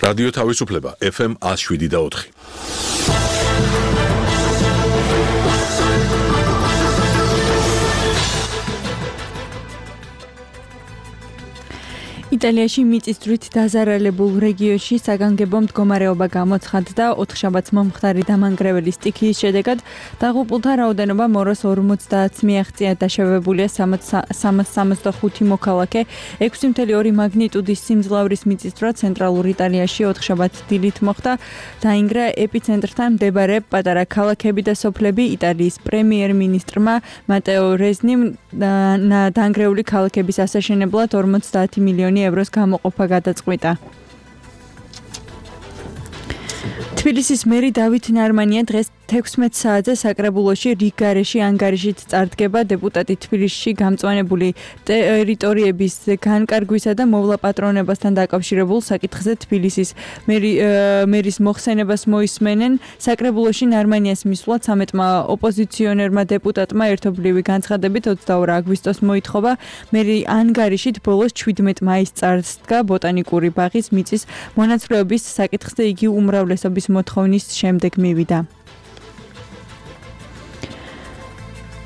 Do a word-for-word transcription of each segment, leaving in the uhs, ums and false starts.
რადიო თავისუფლება ეფ ემ one oh seven და four. იტალიაში მიწისძვრით დაზარალებულ რეგიონში საგანგებო მდგომარეობა გამოცხადდა ოთხშაბათს მომხდარი დამანგრეველი სტიქიის შედეგად დაღუპულთა რაოდენობა მოროს ორმოცდაათს მიაღწია დაშავებულია სამას სამოცდახუთი მოქალაქე ექვსი კoma ორი მაგნიტუდის სიმძლავრის მიწისძვრა ცენტრალურ იტალიაში ოთხშაბათს დილით მოხდა დაინგრა ეპიცენტრთან მდებარე პატარა ქალაქები და სოფლები იტალიის პრემიერ-მინისტრმა მატეო რეზნიმ დანგრეული ქალაქების ასაშენებლად ორმოცდაათი მილიონი ევროს გამოყოფა გადაწყვიტა. თბილისის მერი დავით ნარმანია დღეს თექვსმეტ საათზე საკრებულოში რიგგარეში ანგარიშით წარდგება დეპუტატი თბილისში გამწვანებული ტერიტორიების განკარგვისა და მოვლაპატრონებასთან დაკავშირებულ საკითხზე თბილისის მერი, მერის მოხსენებას მოისმენენ. საკრებულოში ნარმანიას მისვლად სამეტმა ოპოზიციონერმა დეპუტატმა ერთობლივი განცხადებით ოცდაორი აგვისტოს მოითხოვა მერი ანგარიშით ბოლოს შვიდმეტ მაისს წარსდგა ბოტანიკური ბაღის მიწის მონაცვლეობის საკითხზე იგი უმრავლესობის მოთხოვნის შემდეგ მივიდა.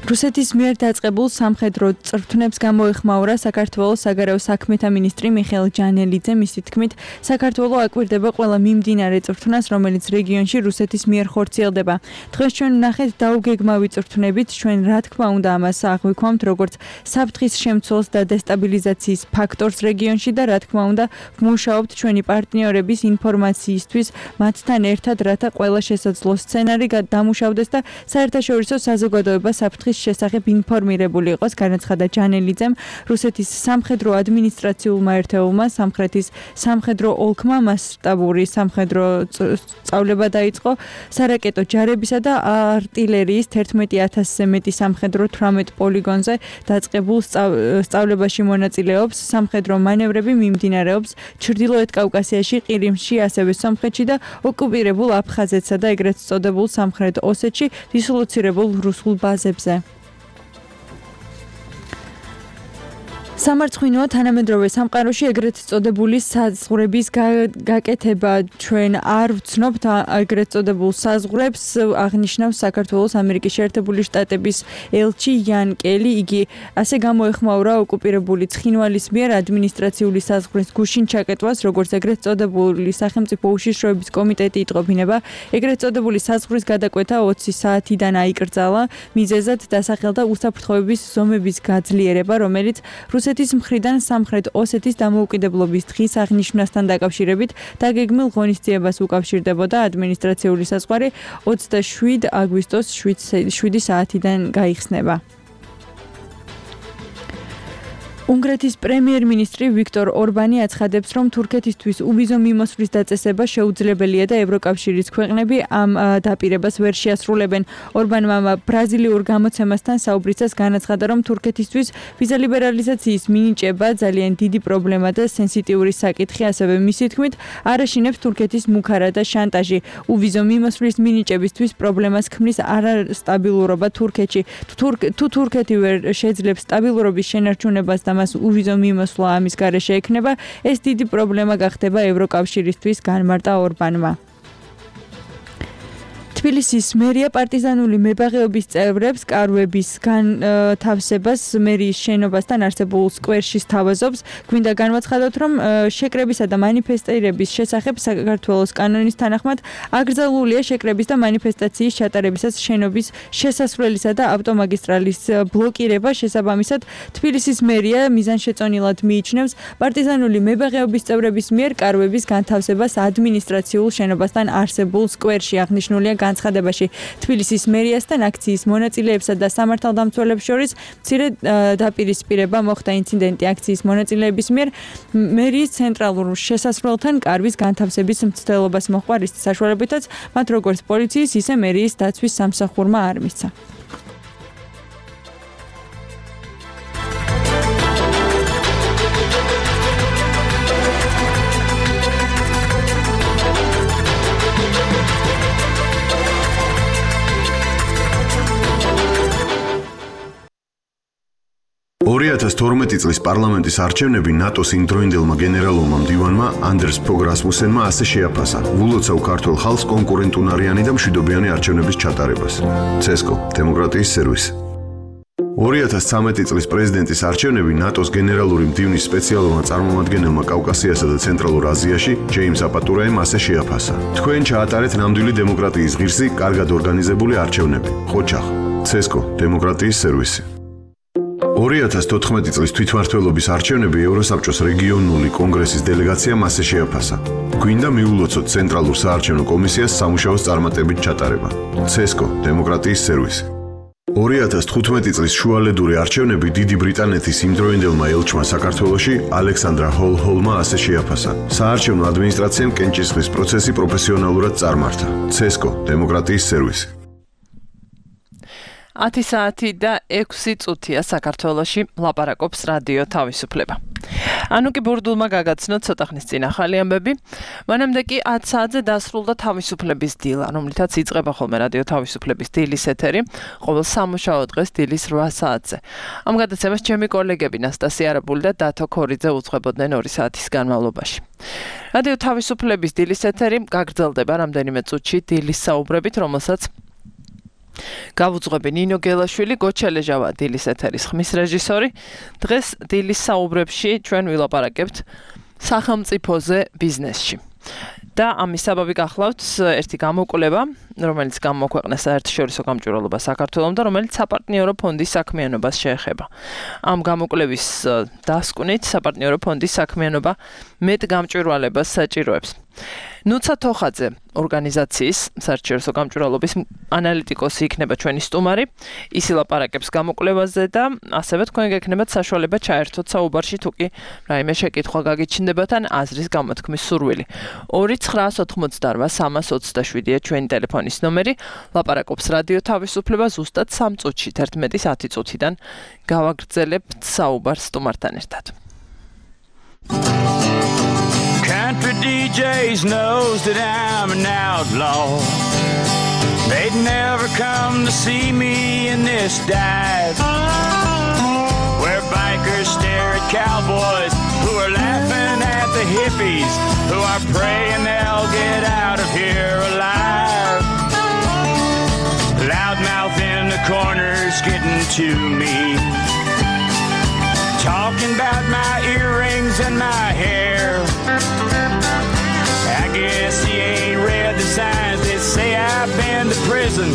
რუსეთის მიერ დაწყებულ სამხედრო წვრთნებს გამოეხმაურა საქართველოს საგარეო საქმეთა მინისტრი მიხეილ ჯანელიძე. მისი თქმით, საქართველო აკვირდება ყველა მიმდინარე წვრთნას, რომელიც რეგიონში რუსეთის მიერ ხორციელდება. დღეს ჩვენ ვნახეთ დაუგეგმავი წვრთნებით, ჩვენ რა თქმა უნდა ამას აღვიქვამთ როგორც საფრთხის შემცველს და დესტაბილიზაციის ფაქტორს რეგიონში და რა თქმა უნდა ვმუშაობთ ჩვენი პარტნიორების ინფორმაციისთვის მათთან ერთად, რათა ყველა შესაძლო სცენარი დამუშავდეს და საერთაშორისო საზოგადოება საფრთხის შესახებ ინფორმირებული იყოს, განაცხადა ჯანელიძემ. რუსეთის სამხედრო ადმინისტრაციულმა ერთეულმა სამხრეთის სამხედრო ოლქმა მასშტაბური სამხედრო სწავლება დაიწყო. სარაკეტო ჯარებისა და არტილერიის თერთმეტი ათასზე მეტი სამხედრო თვრამეტ პოლიგონზე დაწყებულ სწავლებაში მონაწილეობს. სამხედრო მანევრები მიმდინარეობს ჩრდილოეთ კავკასიაში, ყირიმში, ასევე სომხეთში და ოკუპირებულ აფხაზეთსა და ეგრეთ წოდებულ სამხრეთ ოსეთში დისლოცირებულ რუსულ ბაზებზე. სამარცხვინოა თანამედროვე სამყაროში ეგრეთ წოდებული საზღვრების გაკეთება. ჩვენ არ ვცნობთ ეგრეთ წოდებულ საზღვრებს, აღნიშნავს საქართველოს ამერიკის შეერთებული შტატების ელჩი იან კელი. იგი ასე გამოეხმაურა ოკუპირებული ცხინვალის მიერ ადმინისტრაციული საზღვრის გუშინ ჩაკეტვას, როგორც ეგრეთ წოდებული სახელმწიფო უშიშროების კომიტეტი იტყობინება. ეგრეთ წოდებული საზღვრის გადაკვეთა ოცი საათიდან აიკრძალა. მიზეზად დასახელდა უსაფრთხოების ზომების გაძლიერება, რომელიც რუსეთის მხრიდან სამხრეთ ოსეთის დამოუკიდებლობის დღის აღნიშვნასთან დაკავშირებით დაგეგმილ ღონისძიებას უკავშირდებოდა. ადმინისტრაციული საზღვარი ოცდაშვიდი აგვისტოს შვიდი საათიდან გაიხსნება. უნგრეთის პრემიერ-მინისტრი ვიქტორ ორბანი აცხადებს, რომ თურქეთისთვის უვიზო მიმოსვლის დაწესება შეუძლებელია და ევროკავშირის ქვეყნები ამ დაპირებას ვერ შეასრულებენ. ორბანმა ბრაზილიურ გამოცემასთან საუბრისას განაცხადა, რომ თურქეთისთვის ვიზა ლიბერალიზაციის მინიჭება ძალიან დიდი პრობლემა და სენსიტიური საკითხი, ასევე მისი თქმით, არ აშინებს თურქეთის მუქარა და შანტაჟი. უვიზო მიმოსვლის მინიჭებისთვის პრობლემას ქმნის არასტაბილურობა თურქეთში. თუ თურქეთი ვერ შეძლებს სტაბილურობის შენარჩუნებას და მას უვიზო მიმოსვლა ამის გარეშე ექნება, ეს დიდი პრობლემა გახდება ევროკავშირისთვის, განმარტა ორბანმა. თბილისის მერია პარტიზანული მებაღეობის წევრებს კარვების განთავსებას მერიის შენობასთან არსებულ სკვერში სთავაზობს. გვინდა განვაცხადოთ, რომ შეკრებისა და მანიფესტირების შესახებ საქართველოს კანონის თანახმად აკრძალულია შეკრების და მანიფესტაციის ჩატარებისას შენობის შესასვლელისა და ავტომაგისტრალის ბლოკირება. შესაბამისად, თბილისის მერია მიზანშეწონილად მიიჩნევს პარტიზანული მებაღეობის წევრების მიერ კარვების განთავსებას ადმინისტრაციულ შენობასთან არსებულ სკვერში. აღნიშნულია განცხადებაში. თბილისის მერიასთან აქციის მონაწილეებსა და სამართალდამცველებს შორის მცირე დაპირისპირება მოხდა. ინციდენტი აქციის მონაწილეების მიერ მერიის ცენტრალურ შესასვლელთან კარვის განთავსების მცდელობას მოჰყვა, რის საშუალებითაც მათ როგორც პოლიციის, ისე მერიის დაცვის სამსახურმა არ მისცა. ორი ორი ათას თორმეტი წლის პარლამენტის არჩევნები ნატოს იმდროინდელმა გენერალურმა მდივანმა ანდერს ფოგ რასმუსენმა ასე შეაფასა ვულოცავ ქართულ ხალხს კონკურენტუნარიანი და მშვიდობიანი არჩევნების ჩატარებას. ცესკო, დემოკრატიის სერვისი. ორი ათას ცხრამეტი წლის პრეზიდენტის არჩევნები ნატოს გენერალური მდივნის სპეციალურმა წარმომადგენელმა კავკასიასა და ცენტრალურ აზიაში ჯეიმს აპატურაემ ასე შეაფასა. თქვენ ჩაატარეთ ნამდვილი დემოკრატიის ღირსი, კარგად ორგანიზებული არჩევნები. ხოჩახ, ცესკო, დემოკრატიის სერვისი. ორი ათას თოთხმეტი წლის თვითმმართველობის არჩევნები ევროსაბჭოს რეგიონული კონგრესის დელეგაციამ ასე შეაფასა. გვინდა მიულოცოთ ცენტრალურ საარჩევნო კომისიას სამუშაოს წარმატებით ჩატარება. ცესკო, დემოკრატიის სერვისი. ორი ათას თხუთმეტი წლის შუალედური არჩევნები დიდი ბრიტანეთის იმდროინდელმა ელჩმა საქართველოში ალექსანდრა ჰოლ-ჰოლმა ასე შეაფასა. საარჩევნო ადმინისტრაციამ კენჭისყრის პროცესი პროფესიონალურად წარმართა. ცესკო, დემოკრატიის სერვისი. ათი საათი და ექვსი წუთია საქართველოში ლაპარაკობს რადიო თავისუფლება. ანუ კი ბურდულმა გაგაცნო ცოტა ხნის წინ ახალი ამბები, მანამდე კი ათ საათზე დასრულდა თავისუფლების დილა, რომლითაც იწყება ხოლმე რადიო თავისუფლების დილის ეთერი, ყოველ სამუშაო დღეს დილის რვა საათზე. ამ გადაცემას ჩემი კოლეგები ნასტასია არაბული და დათო ქორიძე უძღვებოდნენ ორი საათის განმავლობაში. რადიო თავისუფლების დილის ეთერი გაგრძელდება რამდენიმე წუთში დილის საუბრებით, რომელსაც გავუძღვები ნინო გელაშვილი, გოჩელეჟავა დილის ეთერის ხმის რეჟისორი. დღეს დილის საუბრებში ჩვენ ვილაპარაკებთ სახელმწიფოზე ბიზნესში. და ამის საბაბი გახლავთ ერთი გამოკვლევა, რომელიც გამოქვეყნეს საერთაშორისო გამჭვირვალობა საქართველოს და რომელიც საპარტნიორო ფონდის საქმიანობას შეეხება. ამ გამოკვლევის დასკვნით საპარტნიორო ფონდის საქმიანობა მეტ გამჭვირვალებას საჭიროებს. ნუცა თოხაძე ორგანიზაციის საერთაშორისო გამჭვირვალობის ანალიტიკოსი იქნება ჩვენი სტუმარი. ის ილაპარაკებს გამოკვლევაზე და ასევე თქვენ გექნებათ საშუალება ჩაერთოთ საუბარში, თუ კი რაიმე შეკითხვა გაგიჩნდებათ ან აზრის გამოთქმის სურვილი. ორი ცხრაას ოთხმოცდარვა სამას ოცდაშვიდია ჩვენი ტელეფონის ნომერი. ლაპარაკობს რადიო თავისუფლება ზუსტად სამ წუთში, თერთმეტის ათი წუთიდან გავაგრძელებთ საუბარს სტუმართან ერთად. Country D Js knows that I'm an outlaw. They'd never come to see me in this dive, where bikers stare at cowboys who are laughing at the hippies who are praying they'll get out of here alive. Loudmouth in the corners getting to me, talking about my earrings and my hair. I guess he ain't read the signs that say I've been to prison.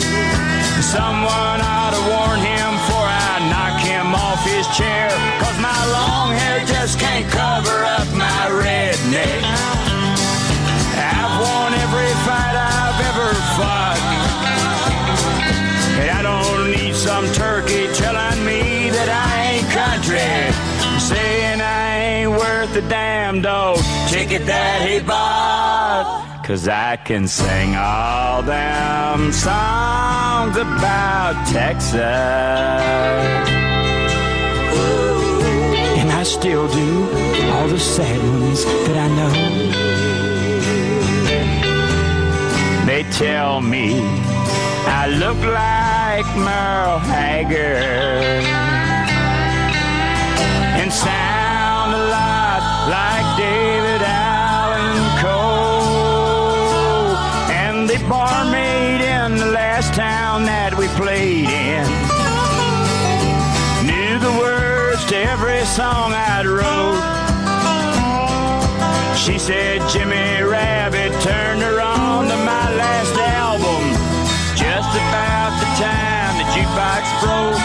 Someone ought to warn him before I knock him off his chair, 'cause my long hair just can't cover up my redneck. I've won every fight I've ever fought, and I don't need some turkey telling me that I ain't country, saying I ain't worth a damn dog ticket that he bought. 'Cause I can sing all them songs about Texas, and I still do all the sad ones that I know. They tell me I look like Merle Haggard and sound a lot like David Allan Coe. And the barmaid in the last town that we played in knew the words to every song I'd wrote. She said Jimmy Rabbit turned her on to my last album just about the time the jukebox broke.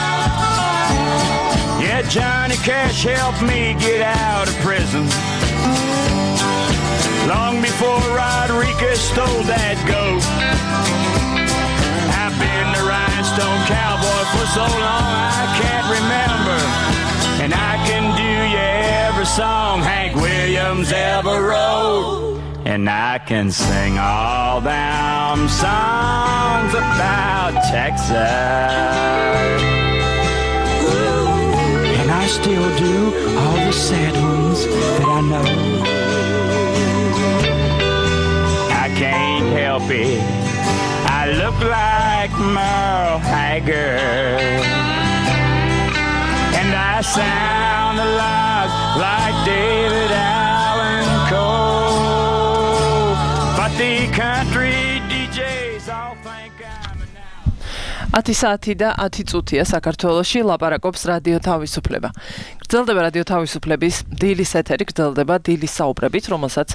Yeah, Johnny Cash helped me get out of prison long before Rodriguez stole that goat. I've been the rhinestone cowboy for so long I can't remember, and I can do you every song Hank Williams ever wrote. And I can sing all them songs about Texas, and I still do all the sad ones that I know. I can't help it, I look like Merle Haggard, and I sound down the lives like David Allen Cole. But the country დი ჯეის all think I'm now. ათი საათი და ათი წუთია საქართველოში ლაპარაკობს რადიო თავისუფლება. გრძელდება რადიო თავისუფლების დილის ეთერი, გრძელდება დილის საუბრებით, რომელსაც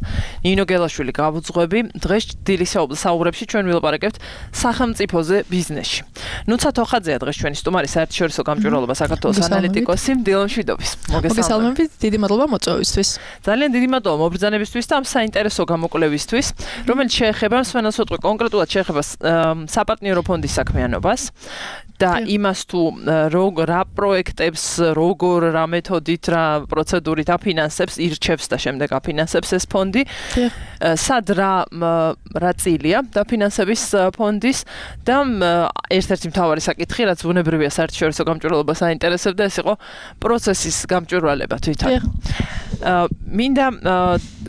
ნინო გელაშვილი გავუძღვები. დღეს დილის საუბრებში ჩვენ ვილაპარაკებთ სახელმწიფოზე ბიზნესში. ნუცა თოხაძეა დღეს ჩვენი სტუმარი, საერთაშორისო გამჭვირვალობა საქართველოს ანალიტიკოსი. დილომშვიდობის. მოგესალმებით, დიდი მადლობა მოწვევისთვის. ძალიან დიდი მადლობა მობრძანებისთვის და ამ საინტერესო გამოკვლევისთვის, რომელიც შეეხება მსვენელსოტყვი კონკრეტულად შეეხება საპარტნიორო ფონდის საქმიანობას. და იმას თუ რა პროექტებს, როგორ რა მეთოდით, რა პროცედურით აფინანსებს, ირჩევს და შემდეგ აფინანსებს ეს ფონდი. სად რა რა წილია დაფინანსების ფონდის და ერთ-ერთი მთავარი საკითხი, რაც ბუნებრივია საერთაშორისო გამჭვირვალობას აინტერესებდა, ეს იყო პროცესის გამჭვირვალება თვითონ. მინდა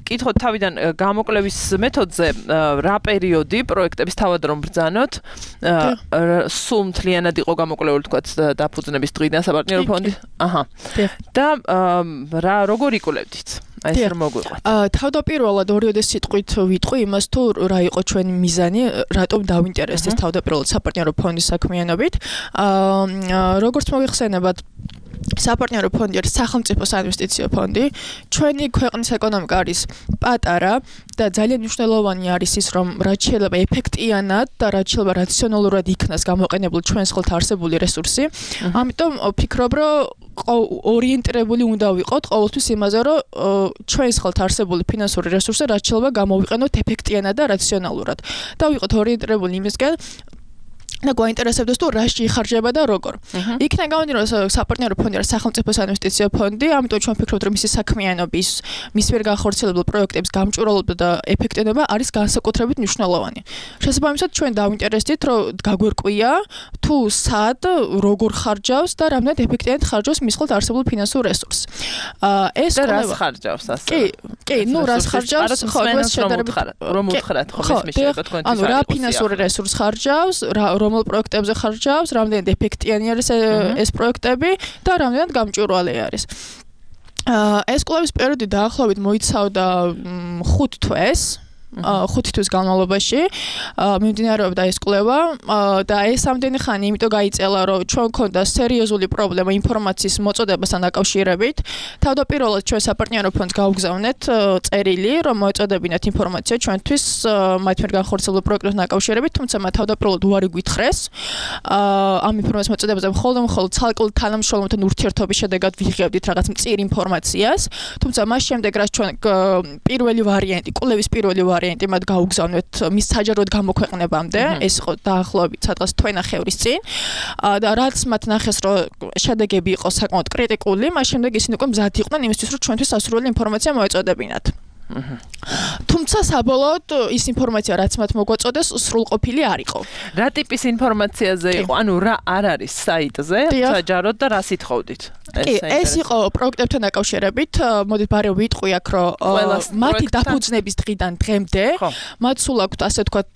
კითხოთ თავიდან გამოკვლევის მეთოდზე, რა პერიოდი პროექტების თავად რომ ბრძანოთ, სულ მთლიანად იყო გამოკვლეული თქვათ დაფუძნების დღიდან საპარტნიორო ფონდი. აჰა. და რა როგორ იკვლევდით? აი ეს რომ მოგვიყვეთ. თავდაპირველად ორიოდე სიტყვით ვიტყვი იმას თუ რა იყო ჩვენი მიზანი, რატომ დავინტერესდეს თავდაპირველად საპარტნიორო ფონდის საქმიანობით. როგორც მოიხსენებათ, საპარტნიორო ფონდი არის სახელმწიფო საინვესტიციო ფონდი. ჩვენი ქვეყნის ეკონომიკა არის პატარა და ძალიან მნიშვნელოვანი არის ის, რომ რაც შეიძლება ეფექტიანად და რაც შეიძლება რაციონალურად იქნას გამოყენებული ჩვენს ხელთ არსებული რესურსი. ამიტომ ვფიქრობ, რომ ორიენტირებული უნდა ვიყოთ ყოველთვის იმაზე, რომ ჩვენს ხელთ არსებული ფინანსური რესურსი რაც შეიძლება გამოვიყენოთ ეფექტიანად და რაციონალურად. და ვიყოთ ორიენტირებული იმისკენ, და გვაინტერესებდეს თუ რაში იხარჯება და როგორ. იქნა გამომდინარე, რომ საპარტნიორო ფონდი არის სახელმწიფო საინვესტიციო ფონდი, ამიტომ ჩვენ ვფიქრობთ, რომ მისი საქმიანობის, მის მიერ განხორციელებულ პროექტების გამჭვირვალობა და ეფექტიანობა არის განსაკუთრებით მნიშვნელოვანი. შესაბამისად, ჩვენ დავინტერესდით, რომ გაგვერკვია თუ სად, როგორ ხარჯავს და რამდენად ეფექტიანად ხარჯავს მის ხელთ არსებულ ფინანსურ რესურსს. ეს და რას ხარჯავს ასე? კი, კი, ნუ რას ხარჯავს, ხო, ეს შედარებით რომ უთხრათ, ხო, ეს მიშება თქვენთვის. ანუ რა ფინანსური რესურს ხარჯავს, რა რომელ პროექტებზე ხარჯავს, რამდენად ეფექტიანი არის ეს პროექტები და რამდენად გამჭვირვალე არის. ეს კვლევის პერიოდი დაახლოებით მოიცავდა ხუთ თვეს. ხუთი თვის განმავლობაში მიმდინარეობდა ეს კვლევა და ეს ამდენი ხანი იმიტომ გაიწელა, რომ ჩვენ გვქონდა სერიოზული პრობლემა ინფორმაციის მოწოდებასთან დაკავშირებით. თავდაპირველად ჩვენ საპარტნიორო ფონდს გავგზავნეთ წერილი, რომ მოეწოდებინათ ინფორმაცია ჩვენთვის მათ მიერ განხორციელებულ პროექტებთან დაკავშირებით, თუმცა მათ თავდაპირველად უარი გვითხრეს. ამ ინფორმაციის მოწოდებაზე მხოლოდ მხოლოდ ცალკეულ თანამშრომელთან ურთიერთობის შედეგად ვიღებდით რაღაც მწირ ინფორმაციას, თუმცა მას შემდეგ რაც ჩვენ პირველი ვარიანტი, კვლევის პირველი ვარიანტი მათ გაუგზავნეთ მის საჯაროდ გამოქვეყნებამდე, ეს იყო დაახლოებით სადღაც თვენახევრის წინ და რაც მათ ნახეს, რომ შედეგები იყო საკმაოდ კრიტიკული, მას შემდეგ ისინი უკვე მზად იყვნენ იმისთვის, რომ ჩვენთვის სასურველი ინფორმაცია მოეწოდებინათ. თუმცა საბოლოოდ ის ინფორმაცია რაც მათ მოგვაწოდეს სრულყოფილი არ იყო. რა ტიპის ინფორმაციაზე იყო? ანუ რა არ არის საიტზე, საჯაროდ და რა სიტყოდით? კი, ეს იყო პროექტებთან დაკავშირებით. მოდით ბარემ ვიტყვი აქ, რომ მათი დაფუძნების დღიდან დღემდე მათ სულ აქვთ ასე ვთქვათ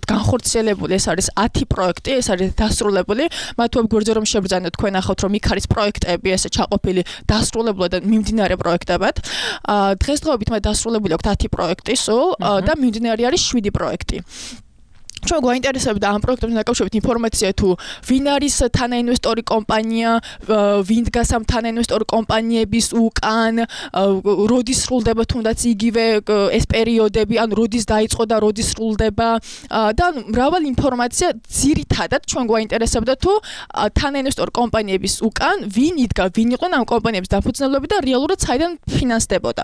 განხორციელებული, ეს არის ათი პროექტი, ეს არის დასრულებული. მათ ვებგვერდზე რომ შებრძანოთ, თქვენ ახავთ რომ იქ არის პროექტები, ესე ჩაყოფილი დასრულებულად და მიმდინარე პროექტებად. დღესდღეობით მათ დასრულებული აქვს ათი პროექტი სულ და მიმდინარე არის შვიდი პროექტი. ჩვენ გვაინტერესებდა ამ პროექტებთან დაკავშირებით ინფორმაცია თუ ვინ არის თანაინვესტორი კომპანია, ვინ დგას ამ თანაინვესტორი კომპანიების უკან, როდის სრულდება თუნდაც იგივე ეს პერიოდები, ან როდის დაიწყო და როდის სრულდება და მრავალი ინფორმაცია ძირითადად ჩვენ გვაინტერესებდა თუ თანაინვესტორი კომპანიების უკან ვინ იდგა, ვინ იყვნენ ამ კომპანიების დაფუძნებლები და რეალურად საიდან ფინანსდებოდა.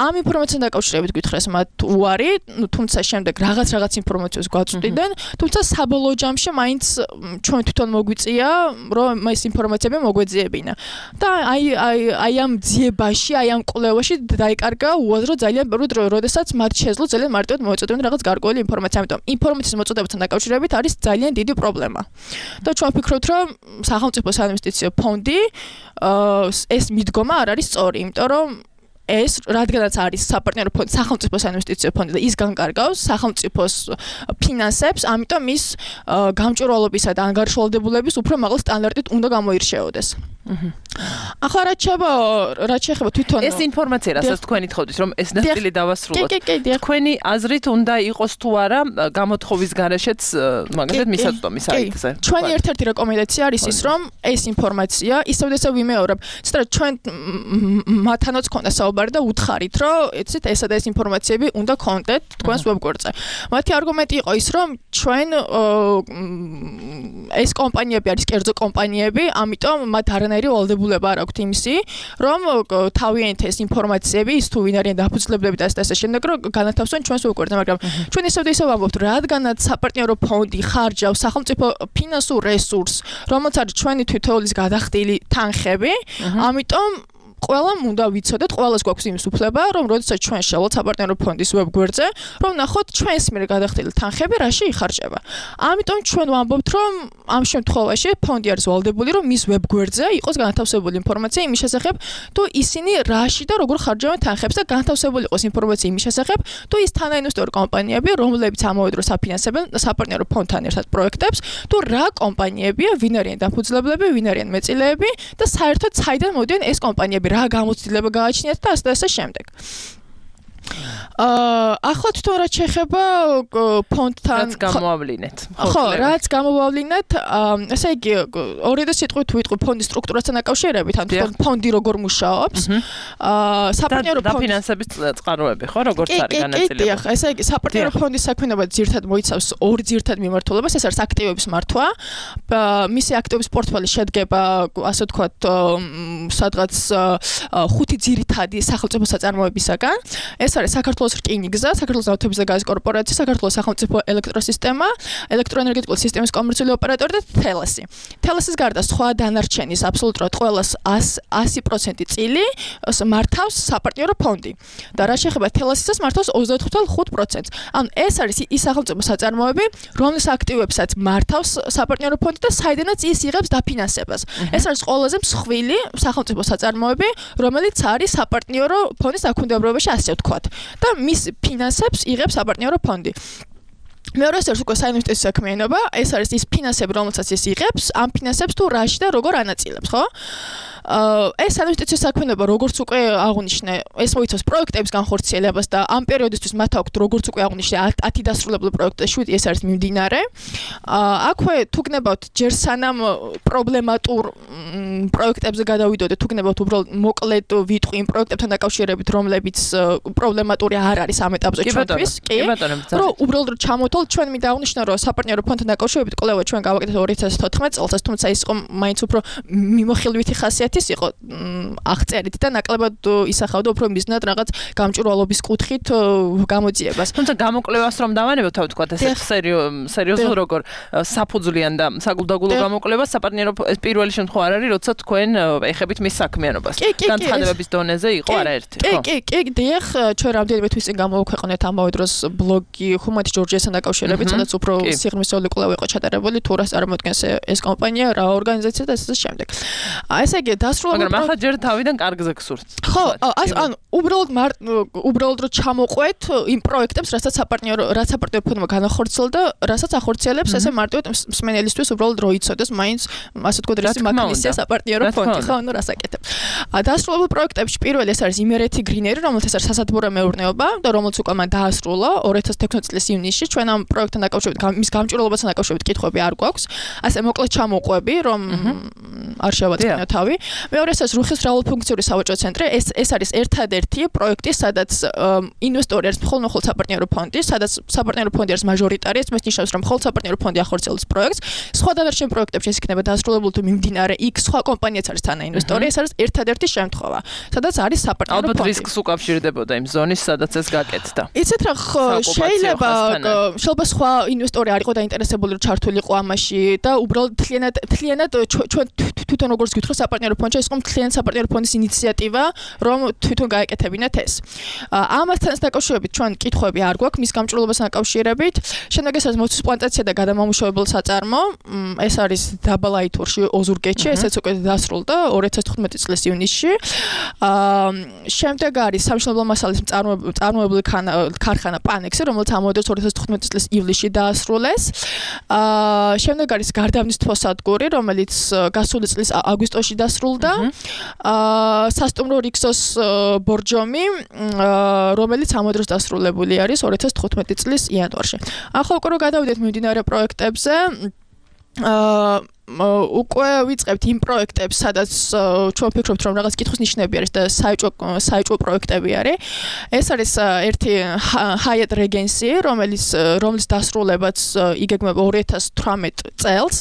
ამ ინფორმაციასთან დაკავშირებით გითხრეს მათ უარი, თუმცა შემდეგ რაღაც რაღაც ინფორმაცია გვაწვდიდნენ, თუმცა საბოლოო ჯამში მაინც ჩვენ თვითონ მოგვიწია, რომ ეს ინფორმაციები მოგვეძიებინა. და აი აი აი ამ ძიებაში, აი ამ კვლევაში დაიკარგა უაზრო ძალიან ბევრი დრო, როდესაც მათ შეძლო ძალიან მარტივად მოეწოდებინა რაღაც გარკვეული ინფორმაცია, ამიტომ ინფორმაციის მოწოდებასთან დაკავშირებით არის ძალიან დიდი პრობლემა. და ჩვენ ვფიქრობთ, რომ სახელმწიფო საინვესტიციო ფონდი ეს მიდგომა არ არის სწორი, იმიტომ რომ ეს რადგანაც არის საპარტნიორო ფონდი, სახელმწიფო საინვესტიციო ფონდი და ის განკარგავს სახელმწიფოს ფინანსებს, ამიტომ ის გამჭვირვალობისა და ანგარიშვალდებულების უფრო მაღალ სტანდარტით უნდა გამოირჩეოდეს. ახლა რაც შეება რაც შეეხება თვითონ ეს ინფორმაცია რასაც თქვენ ითხოვდით რომ ეს ნაწილი დავასრულოთ თქვენი აზრით უნდა იყოს თუ არა გამოთხოვის გარეშეც მაგალითად მისაწვდომი საიტზე ჩვენი ერთ-ერთი რეკომენდაცია არის ის რომ ეს ინფორმაცია ისევ და ისევ ვიმეორებ ცოტა ჩვენ მათანაც ქონდა საუბარი და უთხარით რომ ეცეთ ესა და ეს ინფორმაციები უნდა კონტენტ თქვენს ვებგვერდზე მათი არგუმენტი იყო ის რომ ჩვენ ეს კომპანიები არის კერძო კომპანიები ამიტომ მათ არანაირი ვალდებულება არ აქვთ იმისი რომ თავიანთ ეს ინფორმაციები ის თუ ვინ არიან დაფუძნებლები და ასე შემდეგ რომ განათავსონ ჩვენს ვებგვერდზე მაგრამ ჩვენ ისევ და ისევ ვამბობთ რადგანაც საპარტნიორო ფონდი ხარჯავს სახელმწიფო ფინანსურ რესურსს რომელიც არის ჩვენი თითოეულის გადახდილი თანხები ამიტომ ყველამ უნდა ვიცოდეთ, ყველას გვაქვს იმის უფლება, რომ როდესაც ჩვენ შევალთ საპარტნიორო ფონდის ვებგვერდზე, რომ ნახოთ ჩვენს მიერ გადახდილი თანხები რაში იხარჯება. ამიტომ ჩვენ ვამბობთ, რომ ამ შემთხვევაში ფონდი არის ვალდებული, რომ მის ვებგვერდზე იყოს განათავსებული ინფორმაცია იმის შესახებ, თუ ისინი რაში და როგორ ხარჯავენ თანხებს და განათავსებული იყოს ინფორმაცია იმის შესახებ, თუ ის თანაინვესტორი კომპანიები, რომლებიც ამავე დროს აფინანსებენ საპარტნიორო ფონდთან ერთად პროექტებს, თუ რა კომპანიებია, ვინ არიან დაფუძნებლები, ვინ არიან მეწილეები და საერთოდ საიდან მოდიან ეს კომპანიები რა გამოცდილება გააჩნიათ და ასე და ასე შემდეგ. აა ახლა თვითონ რაც შეეხება ფონდთან რაც გამოავლინეთ. ხო, რაც გამოავლინეთ, ესე იგი ორი და სიტყვით თუ ვიტყვი ფონდის სტრუქტურასთან დაკავშირებით, ან თვითონ ფონდი როგორ მუშაობს. აა საპარტნიორო ფონდი დაფინანსების წყაროები, ხო, როგორც არის განაწილებული. კი, კი, ესე იგი საპარტნიორო ფონდის საქმიანობა ძირთად მოიცავს ორ ძირთად მიმართულებას, ეს არის აქტივების მართვა. მისი აქტივების პორტფელი შედგება, ასე ვთქვათ, სადღაც ხუთი ძირითადი სახელმწიფო საწარმოებისაგან. ეს არის საქართველოს რკინიგზა, საქართველოს ნავთობის და გაზის კორპორაცია, საქართველოს სახელმწიფო ელექტროსისტემა, ელექტროენერგეტიკული სისტემის კომერციული ოპერატორი და თელესი. თელესის გარდა სხვა დანარჩენის აბსოლუტურად ყველას ასი პროცენტი წილი მართავს საპარტნიორო ფონდი. და რა შეეხება თელესისას მართავს ოცდაოთხ კoma ხუთ პროცენტს. ანუ ეს არის ის სახელმწიფო საწარმოები, რომლის აქტივებსაც მართავს საპარტნიორო ფონდი და საიდანაც ის იღებს დაფინანსებას. ეს არის ყველაზე მსხვილი სახელმწიფო საწარმოები, რომელიც არის საპარტნიორო ფონდის დაქვემდებარებაში ასე ვთქვათ. და მის ფინანსებს იღებს საპარტნიორო ფონდი. მეორე არის უკვე საინვესტიციო საქმიანობა, ეს არის ის ფინანსები, რომელსაც ის იღებს, ამ ფინანსებს თუ რაში და როგორ ანაწილებს, ხო? ეს საინვესტიციო საქმიანობა, როგორც უკვე აღნიშნე, ეს მოიცავს პროექტების განხორციელებას და ამ პერიოდისთვის მათ აქვთ როგორც უკვე აღნიშნე ათი დასრულებული პროექტი და შვიდი ეს არის მიმდინარე. აქვე თუ გნებავთ ჯერ სანამ პრობლემატურ პროექტებზე გადავიდოდეთ, თუ გნებავთ უბრალოდ მოკლედ ვიტყვი იმ პროექტებთან დაკავშირებით, რომლებიც პრობლემატური არ არის ამ ეტაპზე ჩვენთვის, კი? რომ უბრალოდ რომ ჩამოთვალ, ჩვენ მინდა აღნიშნო, რომ საპარტნიორო ფონდთან დაკავშირებით კვლევა ჩვენ გავაკეთეთ ორი ათას თოთხმეტ წელს, თუმცა ის იყო მაინც უფრო მიმოხილვითი ხასიათი ის იყო აღწერით და ნაკლებად ისახავდა უფრო მიზნად რაღაც გამჭვირვალობის კუთხით გამოძიებას. თუმცა გამოკვლევას რომ დავანებოთ, თავ თქვა ეს სერიოზულ როგორ საფუძვლიან და საგულდაგულო გამოკვლევას საპარტნიორო ეს პირველი შემთხვევა არ არის, როცა თქვენ ეხებით მის საქმიანობას. განცხადებების დონეზე იყო არაერთი, ხო? კი, კი, კი, დიახ, ჩვენ რამდენიმე თვის წინ გამოვაქვეყნეთ ამავე დროს ბლოგი ხუმათი ჯორჯიასთან დაკავშირებით, სადაც უფრო სიღრმისეული კვლევა იყო ჩატარებული, თუ რას წარმოადგენს ეს კომპანია, რა ორგანიზაცია და ასე შემდეგ. ესე იგი დასრულებული მაგრამ ახლა ჯერ თავიდან კარგზე გსურთ. ხო, ანუ უბრალოდ უბრალოდ რომ ჩამოყვეთ იმ პროექტებს, რასაც საპარტნიორო რაც საპარტნიორო ფონდმა განახორციელა და რასაც ახორციელებს, ესე მარტივად მსმენელისთვის უბრალოდ რო იცოდეს, მაინც ასე თქვა რისი მაგნისია საპარტნიორო ფონდი, ხო, ანუ რას აკეთებ. დასრულებულ პროექტებში პირველი ეს არის იმერეთი გრინერი, რომელიც ეს არის სასათბურო მეურნეობა და რომელიც უკვე მან დაასრულა ორი ათას თექვსმეტ წლის ივნისში. ჩვენ ამ პროექტთან დაკავშირებით, მის გამჭვირვალობასთან დაკავშირებით კითხვები არ გვაქვს. ასე მოკლედ ჩამოყვები, რომ არ შევაწყინო თავი. მეორე ეს არის რუხის მრავალფუნქციური სავაჭრო ცენტრი. ეს ეს არის ერთადერთი პროექტი, სადაც ინვესტორი არის მხოლოდ მხოლოდ საპარტნიორო ფონდი, სადაც საპარტნიორო ფონდი არის მაჟორიტარი, ეს ნიშნავს, რომ მხოლოდ საპარტნიორო ფონდი ახორციელებს პროექტს. სხვა დანარჩენ პროექტებში ეს იქნება დასრულებული თუ მიმდინარე, იქ სხვა კომპანიაც არის თანაინვესტორი, ეს არის ერთადერთი შემთხვევა, სადაც არის საპარტნიორო ფონდი. ალბათ რისკს უკავშირდებოდა იმ ზონის, სადაც ეს გაკეთდა. იცით რა, შეიძლება შეიძლება სხვა ინვესტორი არ იყო დაინტერესებული, რომ ჩართულიყო ამაში და უბრალოდ თლიანად თლიანად ჩვენ თვითონ როგორც გითხრა საპარტნიორო ფონდში ეს მთლიან საპარტნიორო ფონდის ინიციატივა, რომ თვითონ გაეკეთებინათ ეს. ამასთან დაკავშირებით ჩვენ კითხვები არ გვაქვს მის გამჭვირვალობასთან დაკავშირებით. შემდეგ ეს არის მოცვის პლანტაცია და გადამამუშავებელ საწარმო. ეს არის დაბალაითურში, ოზურგეთში, ესეც უკვე დასრულდა ორი ათას თხუთმეტი წლის ივნისში. შემდეგ არის სამშენებლო მასალების მწარმოებელი ქარხანა პანექსი, რომელიც ამავე დროს ორი ათას თხუთმეტი წლის ივლისში დაასრულეს. შემდეგ არის გარდავნის თვალსადგური, რომელიც გასული წლის აგვისტოში დასრულდა. აა სასტუმრო რიქსოს ბორჯომი, რომელიც ამ დროს დასრულებული არის ორი ათას თხუთმეტი წლის იანვარში. ახლა უკვე რომ გადავიდეთ მიმდინარე პროექტებზე, აა უკვე ვიწყებთ იმ პროექტებს, სადაც ჩვენ ვფიქრობთ, რომ რაღაც კითხვის ნიშნები არის და საეჭვო საეჭვო პროექტები არის. ეს არის ერთი Hyatt Regency, რომელიც რომლის დასრულებაც იგეგმება ორი ათას თვრამეტ წელს.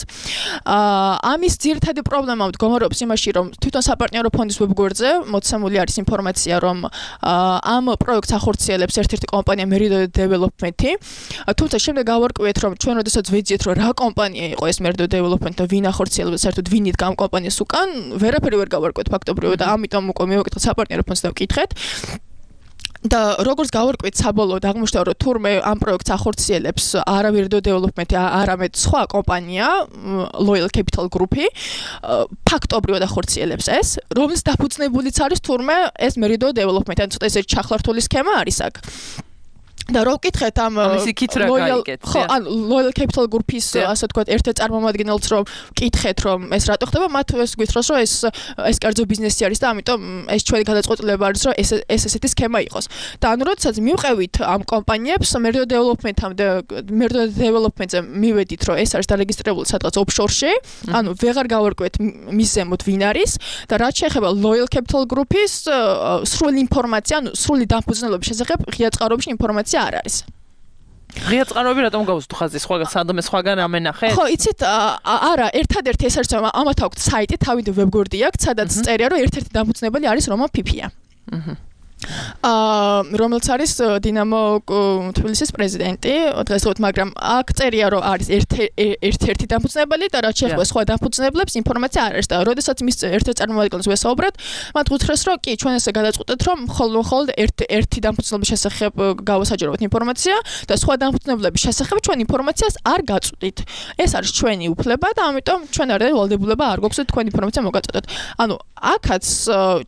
ამის ძირითადი პრობლემა მდგომარეობს იმაში, რომ თვითონ საპარტნიორო ფონდის ვებგვერდზე მოცემული არის ინფორმაცია, რომ ამ პროექტს ახორციელებს ერთ-ერთი კომპანია Merido Development-ი. თუმცა შემდეგ გავარკვიეთ, რომ ჩვენ როდესაც ვეძიეთ, რომ რა კომპანია იყო ეს Merido Development და ვინ ახორციელებს საერთოდ ვინ იდგა ამ კომპანიას უკან, ვერაფერი ვერ გავარკვიეთ ფაქტობრივად და ამიტომ უკვე მივაკითხეთ საპარტნიორო ფონდს და ვკითხეთ. და როგორც გავარკვიეთ საბოლოოდ აღმოჩნდა, რომ თურმე ამ პროექტს ახორციელებს არა Merido Development, არამედ სხვა კომპანია, Loyal Capital Group-ი, ფაქტობრივად ახორციელებს ეს, რომლის დაფუძნებულიც არის თურმე ეს Merido Development, ან ცოტა ესე ჩახლართული სქემა არის აქ. და რო ვკითხეთ ამ Loyal ხო ან Loyal Capital Group-ის ასე თქვა ერთ-ერთ წარმომადგენელს რომ ვკითხეთ რომ ეს რატო ხდება, მათ ეს გვითხრას რომ ეს ეს კერძო ბიზნესი არის და ამიტომ ეს ჩვენი გადაწყვეტილება არის რომ ეს ეს ესეთი სქემა იყოს. და ანუ როდესაც მივყევით ამ კომპანიებს Merido Development-ამდე Merido Development-ზე მივედით რომ ეს არის დარეგისტრირებული სადღაც offshore-ში, ანუ ვეღარ გავარკვიეთ მის ზემოთ ვინ არის და რაც შეეხება Loyal Capital Group-ის სრული ინფორმაცია, ანუ სრული დაფუძნებლობის შესახებ ღია წყაროებში ინფორმაცია არ არის. ღია წყაროები რატომ გავუსთ ხაზი სხვა სადმე სხვაგან ამენახეთ? ხო, იცით, არა, ერთადერთი ეს არის რომ ამათ აქვს საიტი, თავი ვებგვერდი აქვს, სადაც წერია რომ ერთ-ერთი დამფუძნებელი არის რომან ფიფია. აჰა. აა რომელიც არის დინამო თბილისის პრეზიდენტი დღესდღეობით, მაგრამ აქ წერია რომ არის ერთ-ერთი დამფუძნებელი და რაც შეეხება სხვა დამფუძნებლებს ინფორმაცია არ არის და როდესაც მის ერთ-ერთ წარმომადგენელს ვესაუბრეთ, მათ გითხრეს რომ კი ჩვენ ესე გადაწყვეტეთ რომ მხოლოდ მხოლოდ ერთი დამფუძნებლების შესახებ გავასაჯაროთ ინფორმაცია და სხვა დამფუძნებლების შესახებ ჩვენ ინფორმაციას არ გაწვდით. ეს არის ჩვენი უფლება და ამიტომ ჩვენ არ ვალდებულება არ გვაქვს თქვენ ინფორმაცია მოგაწოდოთ. ანუ აქაც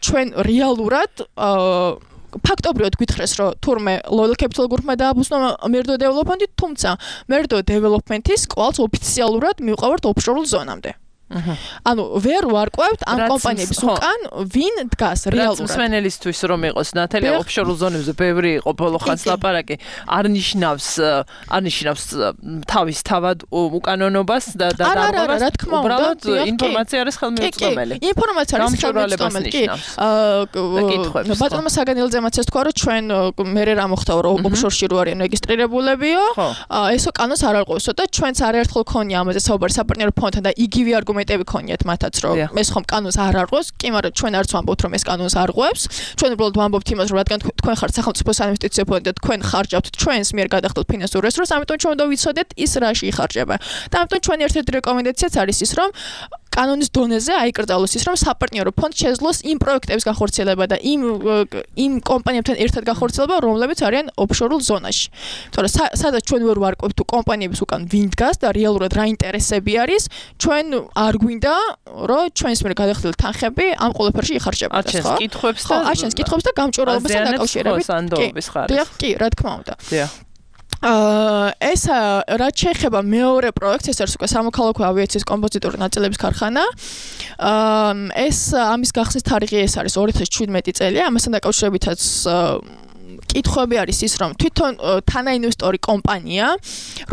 ჩვენ რეალურად აა ფაქტობრივად გითხრეს რომ თურმე Loyal Capital Group-მა დააბუზნა Merido Development-ი, თუმცა Merido Development-ის კვალს ოფიციალურად მივყავართ offshore ზონამდე. ანუ ვერ ვარკვევთ ამ კომპანიების უკან ვინ დგას რეალურად. რაც მსმენელისთვის რომ იყოს ნათელი offshore ზონებზე ბევრი იყო ბოლო ხანს ლაპარაკი, არ ნიშნავს არ ნიშნავს თავის თავად უკანონობას და დარღვევას. უბრალოდ ინფორმაცია არის ხელმისაწვდომელი. ინფორმაცია არის ხელმისაწვდომელი. კი. აა ბატონმა საგანელძე მაც ეს თქვა რომ ჩვენ მერე რა მოხდა რომ offshore-ში რო არიან რეგისტრირებულებიო, ესო კანონს არ არღვევსო და ჩვენც არაერთხელ ქონია ამაზე საუბარი საპარტნიორო ფონდთან და იგივე არგუმენტები ქონიათ მათაც რომ ეს ხომ კანონს არ არღვევს, კი, მაგრამ ჩვენ არც ვამბობთ რომ ეს კანონს არღვევს. ჩვენ უბრალოდ ვამბობთ იმას რომ რადგან თქვენ ხართ სახელმწიფო საინვესტიციო ფონდი და თქვენ ხარჯავთ ჩვენს მიერ გადახდოთ ფინანსურ რესურსს, ამიტომ ჩვენ უნდა ვიცოდეთ ის რაში იხარჯება. და ამიტომ ჩვენი ერთ-ერთი რეკომენდაციაც არის ის რომ კანონის დონეზე აიკრძალოს ის რომ საპარტნიორო ფონდს შეძლოს იმ პროექტების განხორციელება და იმ იმ კომპანიებთან ერთად განხორციელება, რომლებიც არიან offshore ზონაში. თორე სადაც ჩვენ ვერ ვარკვევთ თუ კომპანიების უკან ვინ დგას და რეალურად რა ინტერესები არის, ჩვენ არ გვინდა რომ ჩვენს მიერ გადახდილი თანხები ამ ყველაფერში იხარჯებოდეს, ხო? აჩენს კითხვებს და ხო, აჩენს კითხვებს და გამჭვირვალობასთან დაკავშირებით. კი, კი, რა თქმა უნდა. დიახ. აა ეს რაც შეეხება მეორე პროექტს, ეს არის უკვე სამოქალაქო ავიაციის კომპოზიტური ნაწილების ქარხანა. აა ეს ამის გახსნის თარიღი ეს არის ორი ათას შვიდმეტი წელი, ამასთან დაკავშირებითაც კითხვები არის ის რომ თვითონ თანაინვესტორი კომპანია,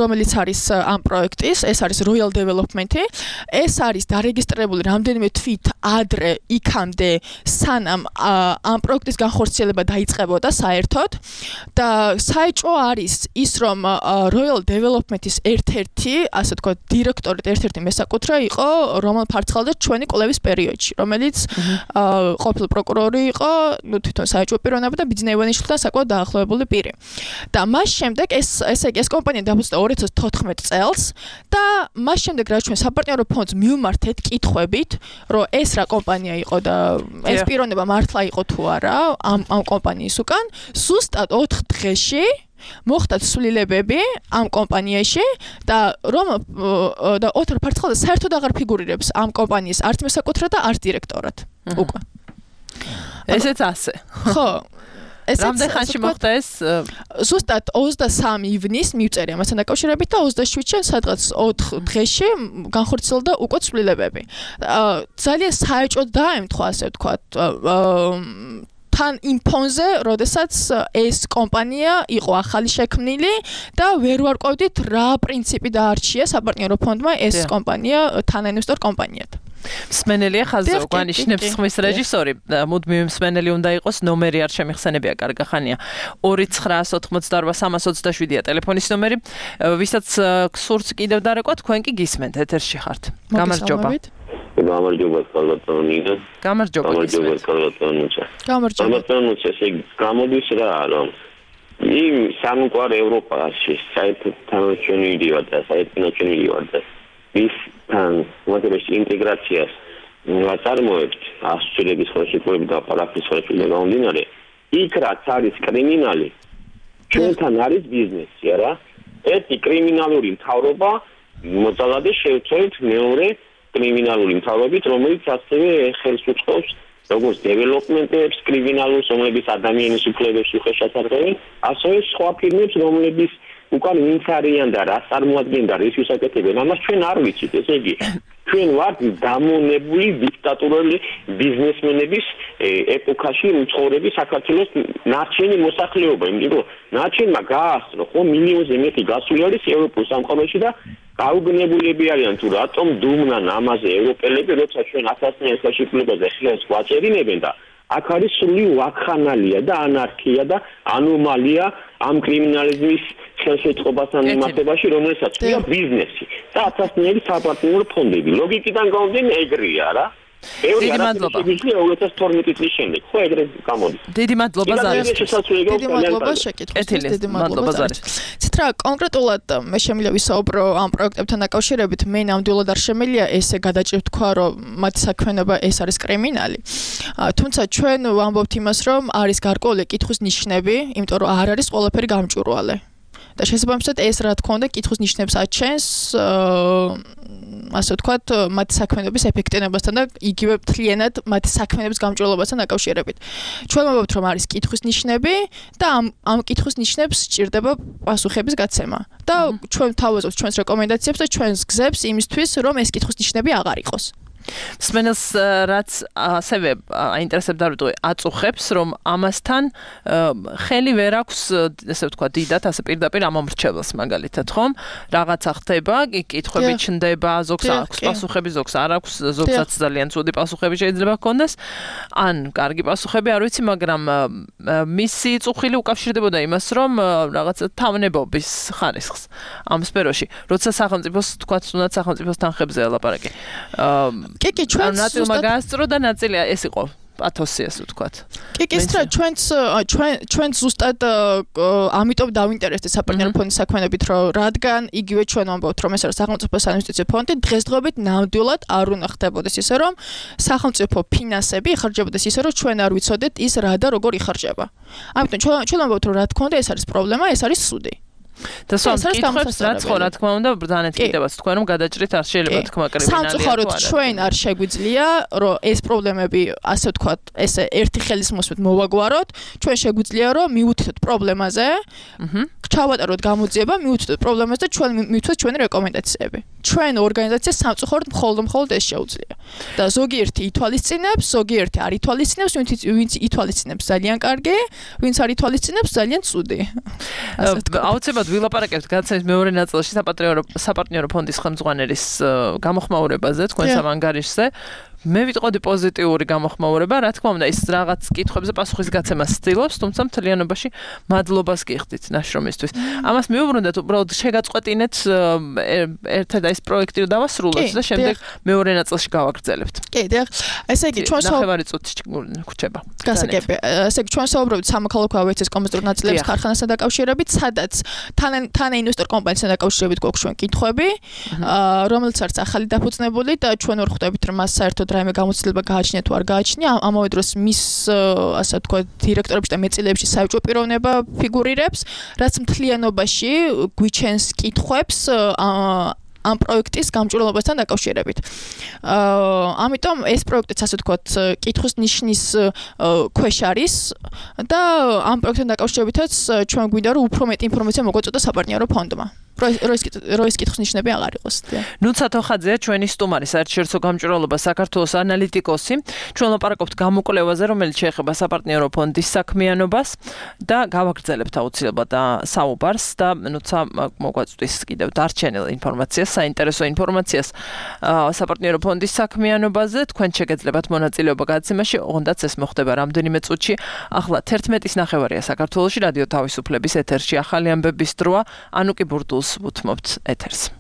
რომელიც არის ამ პროექტის, ეს არის Royal Development-ი, ეს არის დარეგისტრირებული რამდენიმე თვით ადრე იქამდე სანამ ამ პროექტის განხორციელება დაიწყებოდა საერთოდ და საეჭვო არის ის რომ Royal Development-ის ერთ-ერთი, ასე თქვა, დირექტორი და ერთ-ერთი მესაკუთრე იყო რომან ფარცხალაძე ჩვენი კვლევის პერიოდში, რომელიც ყოფილი პროკურორი იყო, ნუ თვითონ საეჭვო პიროვნება და ბიძინა ივანიშვილთან საკმაოდ დაახლოებული პირი. და მას შემდეგ ეს ესე იგი ეს კომპანია დააბუზნა ორი ათას თოთხმეტ წელს და მას შემდეგ რაც ჩვენ საპარტნიორო ფონდს მივმართეთ კითხვებით, რომ ეს რა კომპანია იყო და ეს პიროვნება მართლა იყო თუ არა ამ ამ კომპანიის უკან, ზუსტად ოთხ დღეში მოხდა ცვლილებები ამ კომპანიაში და რომ და ოთარ ფარცხალაძე საერთოდ აღარ ფიგურირებს ამ კომპანიის არც მესაკუთრე და არც დირექტორად უკვე. ესეც ასე. ხო. რამდენ ხანში მოხდა ეს? ზუსტად ოცდასამი ივნის მივწერია მასთან დაკავშირებით და ოცდაშვიდში სადღაც ოთხ დღეში განხორციელდა უკვე ცვლილებები. ძალიან საეჭვოდ დაემთხვა, ასე ვთქვათ, თან იმ ფონზე, როდესაც ეს კომპანია იყო ახალი შექმნილი და ვერ ვარკვევდით რა პრინციპი დაარჩია საპარტნიორო ფონდმა ეს კომპანია თანაინვესტორ კომპანიად. მსმენელია ხაზზე გვანიშნებს ხმის რეჟისორი. მუდმივი მსმენელი უნდა იყოს, ნომერი არ შემიხსენებია, კარგახანია. ორი ცხრაას ოთხმოცდაორბა სამას ოცდაშვიდია ტელეფონის ნომერი. ვისაც გსურთ კიდევ დარეკვა, თქვენ კი გისმენთ, ეთერში ხართ. გამარჯობა. გამარჯობა კალატონინა. გამარჯობა. გამარჯობა კალატონინა. გამარჯობა. კალატონინა ესე გამოდის რა, რომ იმ სამყარო ევროპაში საერთაშორისო და საერთაშორისო და ის თან მოძებნის ინტეგრაციას ვაწარმოებთ ასწლების ხელშეკრულებით და პარაფის ხელშეკრულებით გამომდინარე იქ რაც არის კრიმინალი ჩვენთან არის ბიზნესი არა ერთი კრიმინალური მთავრობა მოძალადე შევწევთ მეორე კრიმინალური მთავრობით რომელიც ასევე ხელს უწყობს როგორც დეველოპმენტებს კრიმინალურს რომლებიც ადამიანის უფლებებს უხეშად არღვევენ ასევე სხვა ფირმებს რომლებიც უკან ვინც არიან და რას წარმოადგენენ და რის ვისაკეთებენ ამას ჩვენ არ ვიცით ესე იგი ჩვენ ვართ დამონებული დიქტატურული ბიზნესმენების ეპოქაში მცხოვრები საქართველოს ნარჩენი მოსახლეობა იმიტომ რომ ნარჩენმა გაასწრო ხო მილიონზე მეტი გასული არის ევროპულ სამყაროში და გაუგნებულები არიან თუ რატომ დუმნან ამაზე ევროპელები როცა ჩვენ ათასწლიან ხელშეკრულებაზე ხელს გვაწერინებენ და აქ არის სრული ვაქხანალია და ანარქია და ანომალია ამ კრიმინალიზმის ხელშეწყობასთან მიმართებაში, რომელსაც ქვია ბიზნესი და ათასწლიანი საპარტნიორო ფონდები. ლოგიკიდან გამომდინარე ეგრეა რა. დიდი მადლობა. ორი ათას თორმეტი წლის შემდეგ ხო ეგრე გამოდის. დიდი მადლობა ზარეს. დიდი მადლობა შეკითხვისთვის. დიდი მადლობა ზარეს. ცითრა კონკრეტულად მე შემიძლია ვისაუბრო ამ პროექტებთან დაკავშირებით, მე ნამდვილად არ შემიძლია ესე გადაჭრით თქვა, რომ მათი საქმიანობა ეს არის კრიმინალი. თუმცა ჩვენ ვამბობთ იმას, რომ არის გარკვეული კითხვის ნიშნები, იმიტომ რომ არ არის ყველაფერი გამჭვირვალე. და შესაბამისად ეს რა თქმა უნდა კითხვის ნიშნებს აჩენს ასე ვთქვათ მათი საქმიანობის ეფექტიანობასთან და იგივე მთლიანად მათი საქმიანობის გამჭვირვალობასთან დაკავშირებით. ჩვენ ვამბობთ რომ არის კითხვის ნიშნები და ამ ამ კითხვის ნიშნებს სჭირდება პასუხების გაცემა. და ჩვენ თავაზობთ ჩვენს რეკომენდაციებს და ჩვენს გზებს იმისთვის რომ ეს კითხვის ნიშნები აღარ იყოს. მსმენელს რაც ასევე აინტერესებდა როდე აწუხებს რომ ამასთან ხელი ვერ აქვს ესე ვთქვა დიდად ასე პირდაპირ ამომრჩეველს მაგალითად ხომ რაღაცა ხდება კითხვები ჩნდება ზოგს აქვს პასუხები ზოგს არ აქვს ზოგსაც ძალიან ცუდი პასუხები შეიძლება ჰქონდეს ან კარგი პასუხები არ ვიცი მაგრამ მისი წუხილი უკავშირდებოდა იმას რომ რაღაცა თავნებობის ხარისხს ამ სფეროში როცა სახელმწიფოს თქვა თუნდაც სახელმწიფოს თანხებზე ელაპარაკი კი კი ჩვენ ნაწილმა გაასწრო და ნაწილი ეს იყო პათოსი ასე ვთქვათ. კი კი სტრა ჩვენც ჩვენ ჩვენ ზუსტად ამიტომ დავინტერესდით საპარტნიორო ფონდის საქმიანობით რომ რადგან იგივე ჩვენ ვამბობთ რომ ეს არის სახელმწიფო საინვესტიციო ფონდი დღესდღეობით ნამდვილად არ უნდა ხდებოდეს ისე რომ სახელმწიფო ფინანსები იხარჯებოდეს ისე რომ ჩვენ არ ვიცოდეთ ის რა და როგორ იხარჯება. ამიტომ ჩვენ ჩვენ ვამბობთ რომ რა თქმა უნდა ეს არის პრობლემა ეს არის სუდი. და სამ კითხვებს რაც ხო რა თქმა უნდა ბრძანეთ კიდევაც თქვენ რომ გადაჭრით არ შეიძლება თქმა კრიმინალია. სამწუხაროდ ჩვენ არ შეგვიძლია რომ ეს პრობლემები ასე ვთქვათ ესე ერთი ხელის მოსმით მოვაგვაროთ ჩვენ შეგვიძლია რომ მივუთითოთ პრობლემაზე ჩავატაროთ გამოძიება მივუთითოთ პრობლემაზე და ჩვენ მივთვეთ ჩვენი რეკომენდაციები. ჩვენ ორგანიზაციას სამწუხაროდ მხოლოდ მხოლოდ ეს შეუძლია. და ზოგიერთი ითვალისწინებს, ზოგიერთი არ ითვალისწინებს, ვინც ითვალისწინებს ძალიან კარგი, ვინც არ ითვალისწინებს ძალიან ცუდი. აუცილებლად ვილაპარაკებთ გადაცემის მეორე ნაწილში საპარტნიორო საპარტნიორო ფონდის ხელმძღვანელის გამოხმაურებაზე თქვენს ავანგარიშზე. მე ვიტყოდი პოზიტიური გამოხმაურება, რა თქმა უნდა, ის რაღაც კითხვებზე პასუხის გაცემას ცდილობს, თუმცა მთლიანობაში მადლობას გიხდით ნაშრომისთვის. ამას მივუბრუნდეთ, უბრალოდ შეგაწყვეტინეთ ერთად ეს პროექტი რომ დავასრულოთ და შემდეგ მეორე ნაწილში გავაგრძელებთ. კი, დიახ. ესე იგი, ჩვენ ნახევარი წუთი გრჩება. გასაგები. ესე იგი, ჩვენ საუბრობთ სამოქალაქო ავიაციის კომერციულ ნაწილების ქარხანასთან დაკავშირებით, სადაც თანაინვესტორ კომპანიასთან დაკავშირებით გვაქვს ჩვენ კითხვები, რომელიც არის ახალი დაფუძნებული და ჩვენ ვერ ხვდებით, რომ მას საერთოდ რაიმე გამოცდილება გააჩნია თუ არ გააჩნია ამავე დროს მის ასე ვთქვათ დირექტორებში და მეტწილეებში საერთო პიროვნება ფიგურირებს რაც მთლიანობაში გვიჩენს კითხვებს ამ პროექტის გამჭვირვალობასთან დაკავშირებით. აა ამიტომ ეს პროექტიც ასე ვთქვათ, კითხვის ნიშნის ქვეშ არის და ამ პროექტთან დაკავშირებითაც ჩვენ გვინდა რომ უფრო მეტი ინფორმაცია მოგვაწოდოს საპარტნიორო ფონდმა. როის კითხვის ნიშნები აღარ იყოს. ნუცა თოხაძეა ჩვენი სტუმარი საერთაშორისო გამჭვირვალობა საქართველოს ანალიტიკოსი. ჩვენ ლაპარაკობთ გამოკვლევაზე, რომელიც შეეხება საპარტნიორო ფონდის საქმიანობას და გავაგრძელებთ აუცილებლად საუბარს და ნუცა მოგვაწვდის კიდევ დარჩენილ ინფორმაციას, საინტერესო ინფორმაციას საპარტნიორო ფონდის საქმიანობაზე. თქვენ შეგეძლებათ მონაწილეობა გადაცემაში, ოღონდაც ეს მოხდება რამდენიმე წუთში. ახლა თერთმეტის ნახევარია საქართველოში რადიო თავისუფლების ეთერში ახალი ამბების დროა. ანუკი ბურდულს ვუთმობთ ეთერს.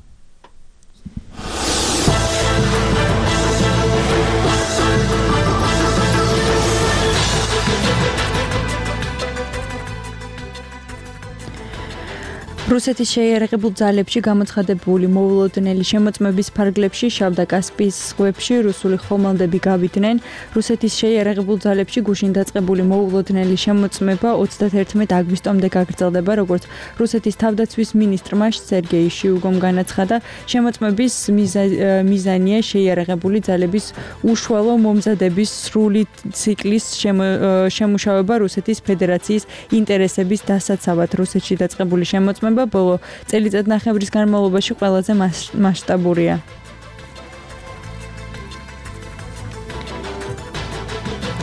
რუსეთის შეიარაღებულ ძალებში გამოცხადებული მოულოდნელი შემოწმების ფარგლებში შავ და კასპიის ზღვებში რუსული ხომალდები გავიდნენ. რუსეთის შეიარაღებულ ძალებში გუშინ დაწყებული მოულოდნელი შემოწმება ოცდაათერთმეტ აგვისტომდე გაგრძელდება, როგორც რუსეთის თავდაცვის მინისტრმა სერგეი შოიგუმ განაცხადა. შემოწმების მიზანია შეიარაღებული ძალების უშუალო მომზადების სრული ციკლის შემუშავება რუსეთის ფედერაციის ინტერესების დასაცავად. რუსეთში დაწყებული შემოწმება ბოლო წელიწადნახევრის განმავლობაში ყველაზე მასშტაბურია.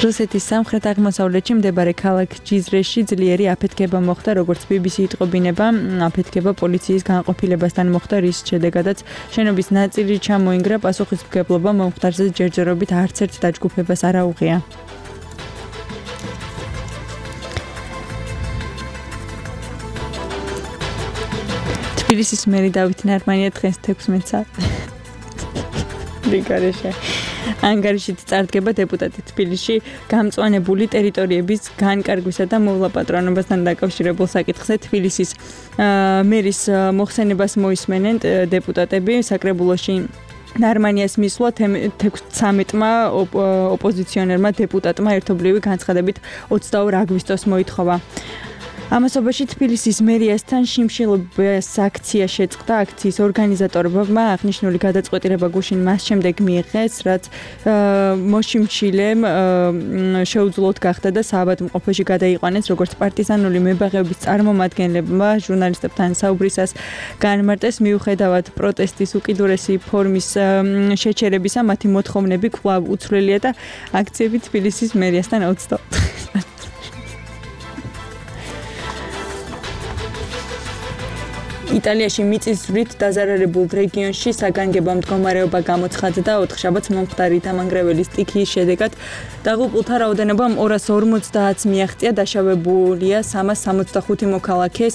რუსეთის სამხრეთ-აღმოსავლეთში მდებარე ქალაქ ჯიზრეში ძლიერი აფეთქება მოხდა, როგორც ბი ბი სი იტყობინება. აფეთქება პოლიციის განყოფილებასთან მოხდა, რის შედეგადაც შენობის ნაწილი ჩამოინგრა. პასუხისმგებლობა მომხდარზე ჯერჯერობით არც ერთ დაჯგუფებას არ აუღია. თბილისის მერი დავით ნარმანია დღეს თექვსმეტ საათზე რიგარეშე ანგარიშით წარდგება დეპუტატი თბილისში გამწვანებული ტერიტორიების განკარგვისა და მოვლაპატრონებასთან დაკავშირებულ საკითხზე. თბილისის მერის მოხსენებას მოისმენენ დეპუტატები. საკრებულოში ნარმანიას მისვლა თექვსმეტმა ოპოზიციონერმა დეპუტატმა ერთობლივი განცხადებით ოცდაორ აგვისტოს მოითხოვა. ამასობაში თბილისის მერიასთან შიმშილობის აქცია შეწყდა. აქციის ორგანიზატორებმა აღნიშნული გადაწყვეტილება გუშინ მას შემდეგ მიიღეს, რაც მოშიმშილემ შეუძლოდ გახდა და საავადმყოფოში გადაიყვანეს, როგორც პარტიზანული მებაღეობის წარმომადგენლებმა ჟურნალისტებთან საუბრისას განმარტეს. მიუხედავად პროტესტის უკიდურესი ფორმის შეჩერებისა, მათი მოთხოვნები კვლავ უცვლელია და აქციები თბილისის მერიასთან ოცდაოთხ იტალიაში მიწისძვრით დაზარალებულ რეგიონში საგანგებო მდგომარეობა გამოცხადდა. ოთხშაბათს მომხდარი დამანგრეველი სტიქიის შედეგად დაღუპულთა რაოდენობა ორას ორმოცდაათს მიაღწია. დაშავებულია სამას სამოცდახუთი მოქალაქე.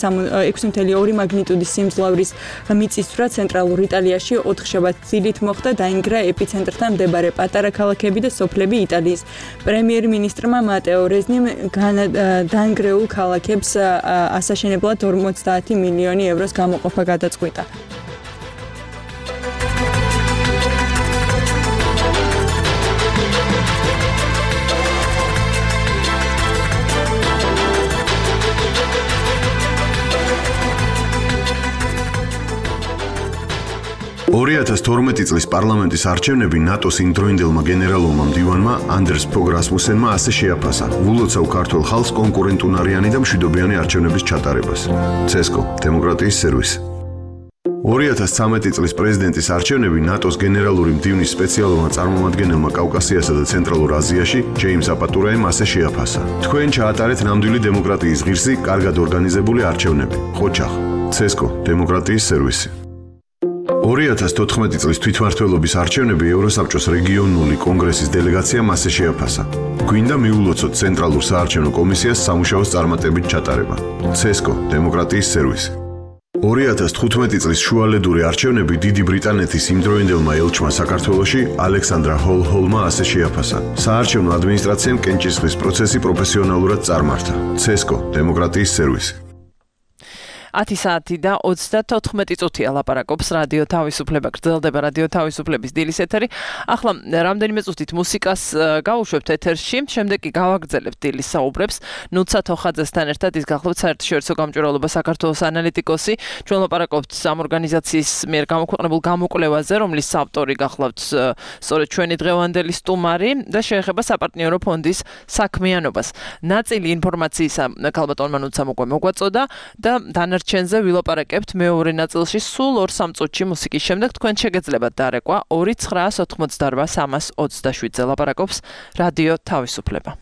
ექვსი კoma ორი მაგნიტუდის სიმძლავრის მიწისძვრა ცენტრალურ იტალიაში ოთხშაბათს ძილით მოხდა. დაინგრა ეპიცენტრთან მდებარე პატარა ქალაქები და სოფლები. იტალიის პრემიერ-მინისტრმა მატეო რეზნიმ დანგრეულ ქალაქებს ასაშენებლად ორმოცდაათი მილიონი ევროს გამოყოფა გადაწყვიტა. ორი ათას თორმეტი წლის პარლამენტის არჩევნები ნატოს იმდროინდელმა გენერალურმა მდივანმა ანდერს ფოგ რასმუსენმა ასე შეაფასა. ვულოცავ ქართულ ხალხს კონკურენტუნარიანი და მშვიდობიანი არჩევნების ჩატარებას. ცესკო, დემოკრატიის სერვისი. ორი ათას ცხრამეტი წლის პრეზიდენტის არჩევნები ნატოს გენერალური მდივნის სპეციალურმა წარმომადგენელმა კავკასიასა და ცენტრალურ აზიაში, ჯეიმს აპატურაემ ასე შეაფასა. თქვენ ჩაატარეთ ნამდვილი დემოკრატიის ღირსი, კარგად ორგანიზებული არჩევნები. ხოჩახ, ცესკო, დემოკრატიის სერვისი. ორი ათას თოთხმეტი წლის თვითმმართველობის არჩევნები ევროსაბჭოს რეგიონული კონგრესის დელეგაციამ ასე შეაფასა. გვინდა მიულოცოთ ცენტრალურ საარჩევნო კომისიას სამუშაოს წარმატებით ჩატარება. ცესკო, დემოკრატიის სერვისი. ორი ათას თხუთმეტი წლის შუალედური არჩევნები დიდი ბრიტანეთის იმდროინდელმა ელჩმა საქართველოში ალექსანდრა ჰოლ-ჰოლმა ასე შეაფასა. საარჩევნო ადმინისტრაციამ კენჭისყრის პროცესი პროფესიონალურად წარმართა. ცესკო, დემოკრატიის სერვისი. ათი საათი და ოცდათოთხმეტი წუთია ლაპარაკობს რადიო თავისუფლება, გრძელდება რადიო თავისუფლების დილის ეთერი. ახლა რამდენიმე წუთით მუსიკას გავუშვებთ ეთერში, შემდეგ კი გავაგრძელებთ დილის საუბრებს. ნუცა თოხაძესთან ერთად ის გახლავთ საერთაშორისო გამჭვირვალობა საქართველოს ანალიტიკოსი. ჩვენ ლაპარაკობთ ამ ორგანიზაციის მიერ გამოქვეყნებულ გამოკვლევაზე, რომლის ავტორი გახლავთ სწორედ ჩვენი დღევანდელი სტუმარი და შეეხება საპარტნიორო ფონდის საქმიანობას. ნაწილი ინფორმაციისა ქალბატონმა ნუცამ უკვე მოგვაწოდა და დანარჩენზე ვილაპარაკებთ მეორე ნაწილში სულ ორ სამ წუთში მუსიკის შემდეგ. თქვენ შეგეძლებათ დარეკვა ორი ცხრაას ოთხმოცდარვა სამას ოცდაშვიდზე ლაპარაკობს რადიო თავისუფლება.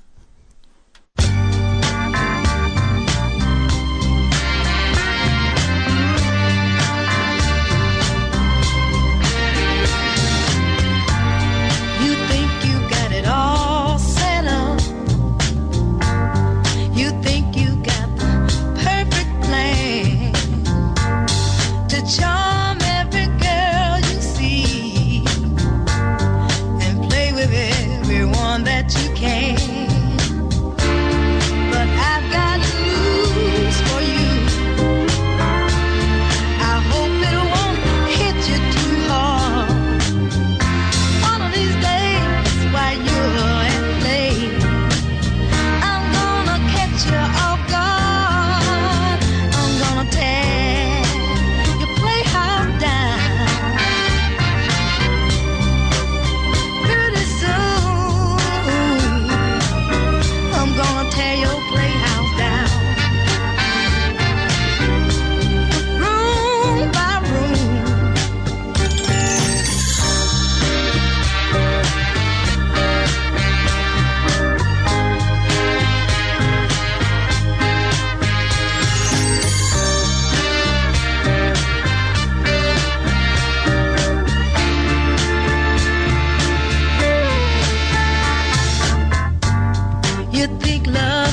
Charm every girl you see and play with everyone that you can. But I've got news for you. I hope it won't hit you too hard. One of these days while you're at play, I'm gonna catch you off guard. I'm gonna tell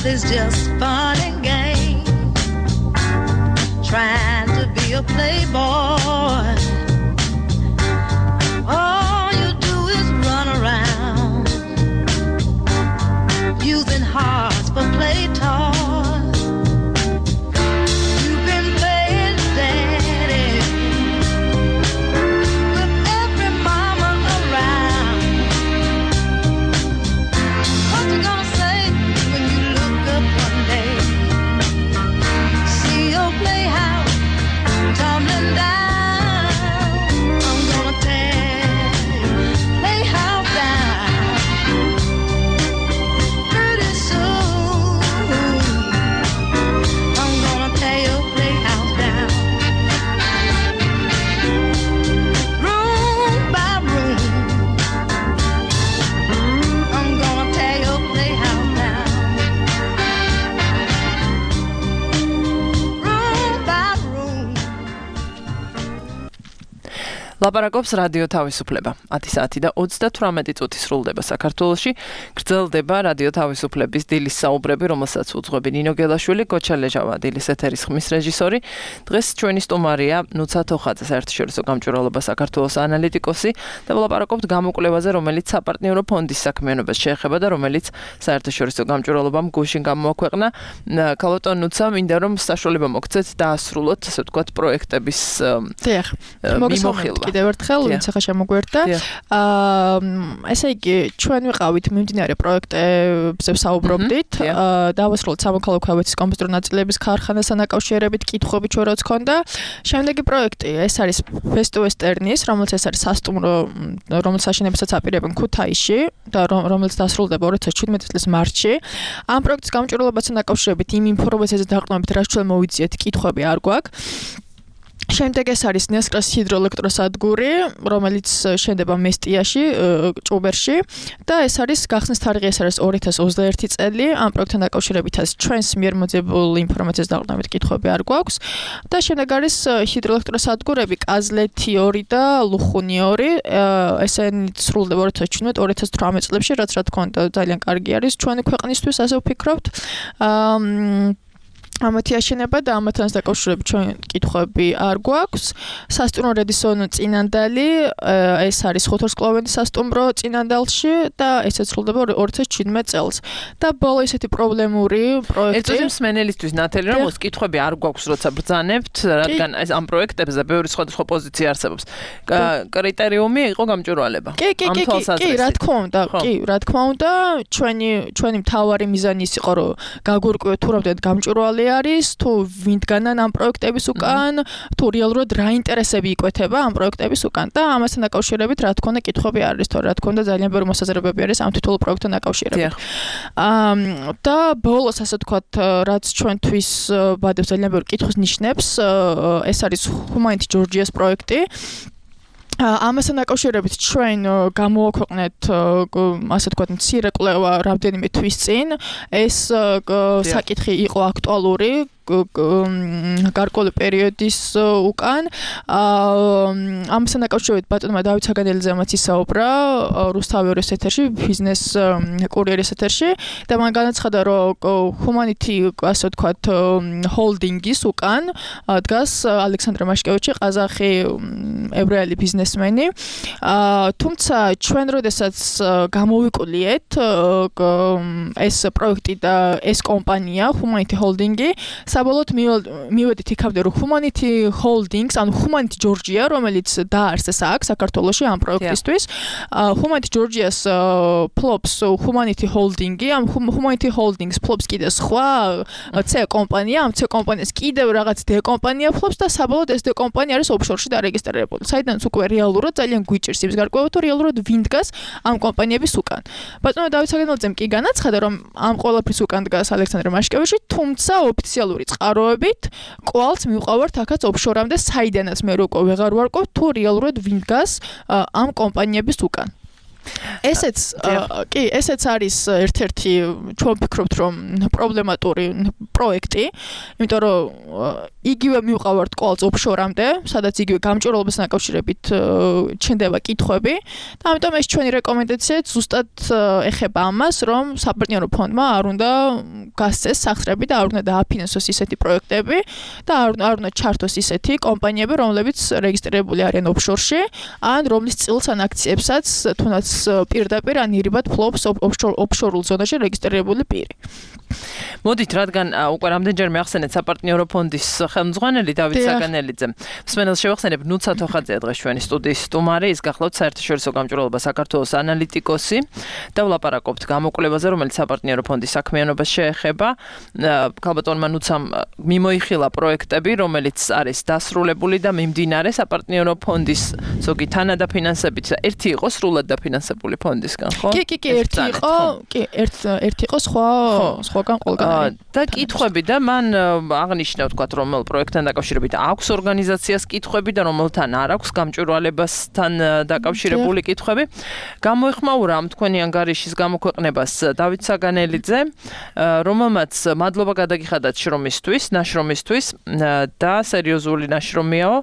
is just fun and game, trying to be a playboy. All you do is run around using hearts for play toys. You've been playing daddy with every mama around. What you gonna say when you look up one day, see your playhouse tumbling down? I'm gonna tear your playhouse down pretty soon. I'm gonna tear your playhouse down room by room. I'm gonna tear your playhouse down room by room. ლაპარაკობს რადიო თავისუფლება. ათი საათი და ოცდათვრამეტი წუთი სრულდება საქართველოში. გრძელდება რადიო თავისუფლების დილის საუბრები, რომელსაც უძღვები ნინო გელაშვილი, გოჩა ლეჟავა, დილის ეთერის ხმის რეჟისორი. დღეს ჩვენი სტუმარია ნუცა თოხაძე, საერთაშორისო გამჭვირვალობა საქართველოს ანალიტიკოსი და ვლაპარაკობთ გამოკვლევაზე, რომელიც საპარტნიორო ფონდის საქმიანობას შეეხება და რომელიც საერთაშორისო გამჭვირვალობამ გუშინ გამოაქვეყნა. ქალბატონ ნუცა, მინდა რომ საშუალება მოგცეთ დაასრულოთ, ასე ვთქვათ, პროექტების დიახ, მოგესალმებით კიდევ ერთხელ, ვინც ახლა შემოგვერდა. აა ესე იგი, ჩვენ ვიყავით მიმდინარე პროექტებზე ვსაუბრობდით. დავასრულოთ სამოქალაქო ქვევეთის კომპიუტერული ნაწილების ქარხანასთან დაკავშირებით კითხვები ჩვენ რაც ქონდა. შემდეგი პროექტი ეს არის Best Westernis, რომელიც ეს არის სასტუმრო, რომელსაც აშენებასაც აპირებენ ქუთაისში და რომელიც დასრულდება ორი ათას შვიდმეტი წლის მარტში. ამ პროექტის გამჭვირვალობასთან დაკავშირებით იმ ინფორმაციაზე დაყრდნობით, რაც ჩვენ მოვიძიეთ, კითხვები არ გვაქვს. შემდეგ ეს არის ნესკრას ჰიდროელექტროსადგური, რომელიც შენდება მესტიაში, ჭუბერში და ეს არის გახსნის თარიღი, ეს არის ორი ათას ოცდაერთი წელი. ამ პროექტთან დაკავშირებითაც ჩვენს მიერ მოძებულ ინფორმაციას დაყრდნობით კითხვები არ გვაქვს და შემდეგ არის ჰიდროელექტროსადგურები კაზლეთი ორი და ლუხუნი ორი. ესენი სრულდება ორი ათას შვიდმეტი ორი ათას თვრამეტი წლებში, რაც რა თქმა უნდა ძალიან კარგი არის ჩვენი ქვეყნისთვის, ასე ვფიქრობთ. აა ამათი აშენება და ამათთან დაკავშირებით ჩვენ კითხვები არ გვაქვს. სასტუმრო რედისონ წინანდალი, ეს არის ხუთვარსკვლავედი სასტუმრო წინანდალში და ესეც სრულდება ორი ათას შვიდმეტ წელს. და ბოლო ესეთი პრობლემური პროექტი. ერთადერთი მსმენელისთვის ნათელი რომ ის კითხვები არ გვაქვს, როცა ბრძანებთ, რადგან ეს ამ პროექტებზე ბევრი სხვადასხვა პოზიცია არსებობს. კრიტერიუმი იყო გამჭვირვალება. კი, კი, კი, კი, რა თქმა უნდა, კი, რა თქმა უნდა, ჩვენი ჩვენი მთავარი მიზანი ის იყო, რომ გაგვირკვიოთ თუ რამდენად გამჭვირვალე არის, თუ ვინდგანან ამ პროექტების უკან, თუ რეალურად რა ინტერესები იკვეთება ამ პროექტების უკან და ამასთან დაკავშირებით რა თქმა უნდა კითხვები არის, თორე რა თქმა უნდა ძალიან ბევრი მოსაზრებები არის ამ თითოეულ პროექტთან დაკავშირებით. აა და ბოლოს ასე ვთქვათ, რაც ჩვენთვის ბადებს ძალიან ბევრი კითხვის ნიშნებს, ეს არის Humanity Georgia's პროექტი. ამასთან დაკავშირებით ჩვენ გამოვაქვეყნეთ ასე ვთქვათ მცირე კვლევა რამდენიმე თვის წინ ეს საკითხი იყო აქტუალური გარკვეული პერიოდის უკან ამასთან დაკავშირებით ბატონმა დავით საგანელიძემაც ისაუბრა რუსთავის ეთერში ბიზნეს კურიერის ეთერში და მან განაცხადა რომ Humanity ასე ვთქვათ ჰოლდინგის უკან დგას ალექსანდრე მაშკევიჩი ყაზახი ებრაელი ბიზნესმენი თუმცა ჩვენ როდესაც გამოვიკვლიეთ ეს პროექტი და ეს კომპანია Humanity ჰოლდინგი საბოლოოდ მივედით იქამდე რომ Humanity Holdings ანუ Humanity Georgia რომელიც დაარსეს აქ საქართველოში ამ პროექტისთვის Humanity Georgia's ფლობს Humanity Holding-ი ამ Humanity Holdings ფლობს კიდე სხვა C კომპანია ამ C კომპანიას კიდევ რაღაც D კომპანია ფლობს და საბოლოოდ ეს D კომპანია არის ოფშორში დარეგისტრირებული საიდანაც უკვე რეალურად ძალიან გვიჭირს იმის გარკვევა თუ რეალურად ვინ დგას ამ კომპანიების უკან ბატონო დავით საგანელიძემ კი განაცხადა რომ ამ ყველაფრის უკან დგას ალექსანდრე მაშკევიჩი თუმცა ოფიციალური წყაროებით კვალს მივყავართ აქაც ოფშორამდე საიდანაც მე რო ვეღარ ვარკვევ თუ რეალურად ვინ დგას ამ კომპანიების უკან ესეც კი ესეც არის ერთ-ერთი ჩვენ ვფიქრობთ რომ პრობლემატური პროექტი იმიტომ რომ იგივე მივყავართ კვალს ოფშორამდე სადაც იგივე გამჭვირვალობასთან დაკავშირებით ჩნდება კითხვები და ამიტომ ეს ჩვენი რეკომენდაციაა ზუსტად ეხება ამას რომ საპარტნიორო ფონდმა არ უნდა გასცეს სახსრები და არ უნდა დააფინანსოს ისეთი პროექტები და არ უნდა ჩართოს ისეთი კომპანიები რომლებიც რეგისტრირებული არიან ოფშორში ან რომლის წილს ან აქციებსაც თუნდაც პირდაპირ ან ირიბად ფლობს ოფშორულ ზონაში რეგისტრირებული პირი. მოდით, რადგან უკვე რამდენჯერ მეახსენეთ საპარტნიორო ფონდის ხელმძღვანელი დავით საგანელიძემ. მსმენელს შევახსენებ ნუცა თოხაძე დღეს ჩვენი სტუდიის სტუმარი, ის გახლავთ საერთაშორისო გამჭვირვალობა საქართველოს ანალიტიკოსი და ვლაპარაკობთ გამოკვლევაზე, რომელიც საპარტნიორო ფონდის საქმიანობას შეეხება. ქალბატონმა ნუცამ მიმოიხილა პროექტები, რომელიც არის დასრულებული და მიმდინარე საპარტნიორო ფონდის ზოგი თანადაფინანსებით და ერთი იყო სრულად დაფინანსებული ფონდისგან, ხო? კი, კი, კი, ერთი იყო, კი, ერთი იყო სხვა სხვაგან ყველგან. და კითხვები და მან აღნიშნა ვთქვათ რომელ პროექტთან დაკავშირებით აქვს ორგანიზაციას კითხვები და რომელთან არ აქვს გამჭვირვალებასთან დაკავშირებული კითხვები. გამოეხმაურა ამ თქვენი ანგარიშის გამოქვეყნებას დავით საგანელიძე, რომელმაც მადლობა გადაგიხადათ შრომისთვის, ნაშრომისთვის და სერიოზული ნაშრომიაო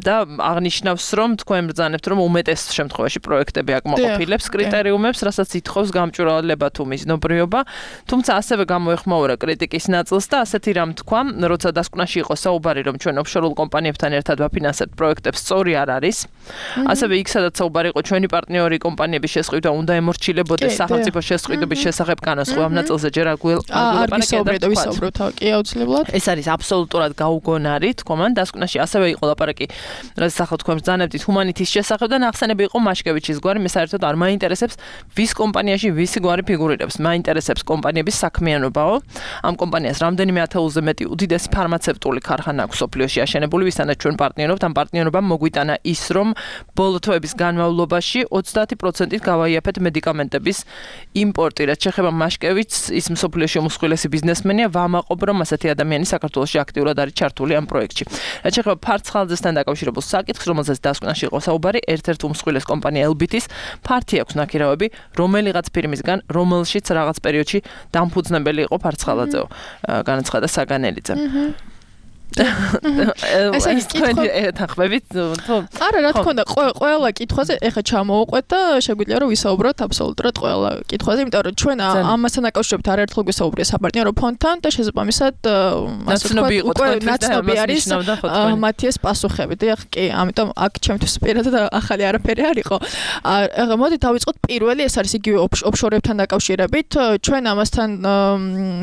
და აღნიშნავს რომ თქვენ ბრძანებთ რომ უმეტეს შემთხვევაში პროექტები აკმაყოფილებს კრიტერიუმებს, რასაც ითხოვს გამჭვირვალება თუ მიზნობრიობა, თუმცა ასევე გამოეხმაურა კრიტიკის ნაწილს და ასეთი რამ თქვა, როცა დასკვნაში იყო საუბარი რომ ჩვენ ოფშორულ კომპანიებთან ერთად ვაფინანსებთ პროექტებს, სწორი არ არის. ასევე იქ სადაც საუბარი იყო ჩვენი პარტნიორი კომპანიების შესყიდვა უნდა ემორჩილებოდეს სახელმწიფო შესყიდვების შესახებ კანონს, ხო ამ ნაწილზე ჯერ აგვილაპარაკეთ ვისაუბროთ, კი აუცილებლად. ეს არის აბსოლუტურად გაუგონარი თქვა მან დასკვნაში ასევე იყო ლაპარაკი, რაც ახლა თქვენ ბრძანებთ Humanity-ის შესახებ და ნახსენები იყო მაშკევიჩის გვარი, მე საერთოდ არ მაინტერესებს ვის კომპანიაში ვისი გვარი ფიგურირებს, მაინტერესებს კომპანიების საქმიანობაო. ამ კომპანიას რამდენიმე ათეულზე მეტი უდიდესი ფარმაცევტული ქარხანა აქვს სოფლიოში აშენებული, ვისთანაც ჩვენ პარტნიორობთ, ამ პარტნიორობამ მოგვიტანა ის, რომ ბოლო თვეების განმავლობაში ოცდაათი პროცენტით გავაიაფეთ მედიკამენტების იმპორტი, რაც შეეხება მაშკევიჩს, ის მსოფლიოში უმსხვილესი ბიზნესმენია, ვამაყობ, რომ ასეთი ადამიანი საქართველოში აქტიურად არის ჩართული ამ პროექტში. რაც შეეხება ფარცხალძესთან დაკავშირებულ საკითხს, რომელზეც დასკვნაში იყო საუბარი, ერთ-ერთ უმსხვილეს კომპანია ელბიტის ფართი აქვს ნაქირავები, რომელიღაც ფირმისგან, რომელშიც რაღაც პერიოდში დამფუძნებელი იყო ფარცხალაძეო, განაცხადა საგანელიძემ. ესე იგი თქვენი ეთანხმებით თუ არა რა თქმა უნდა ყველა კითხვაზე ეხა ჩამოუყვეთ და შეგვიძლია რომ ვისაუბროთ აბსოლუტურად ყველა კითხვაზე იმიტომ რომ ჩვენ ამასთან დაკავშირებით არაერთხელ გვესაუბრია საპარტნიორო ფონდთან და შესაბამისად ასე ვთქვათ ნაცნობი არის მათი ეს პასუხები და კი ამიტომ აქ ჩემთვის პირადად ახალი არაფერი არ იყო ეხა მოდი დავიწყოთ პირველი ეს არის იგივე ოფშორებთან დაკავშირებით ჩვენ ამასთან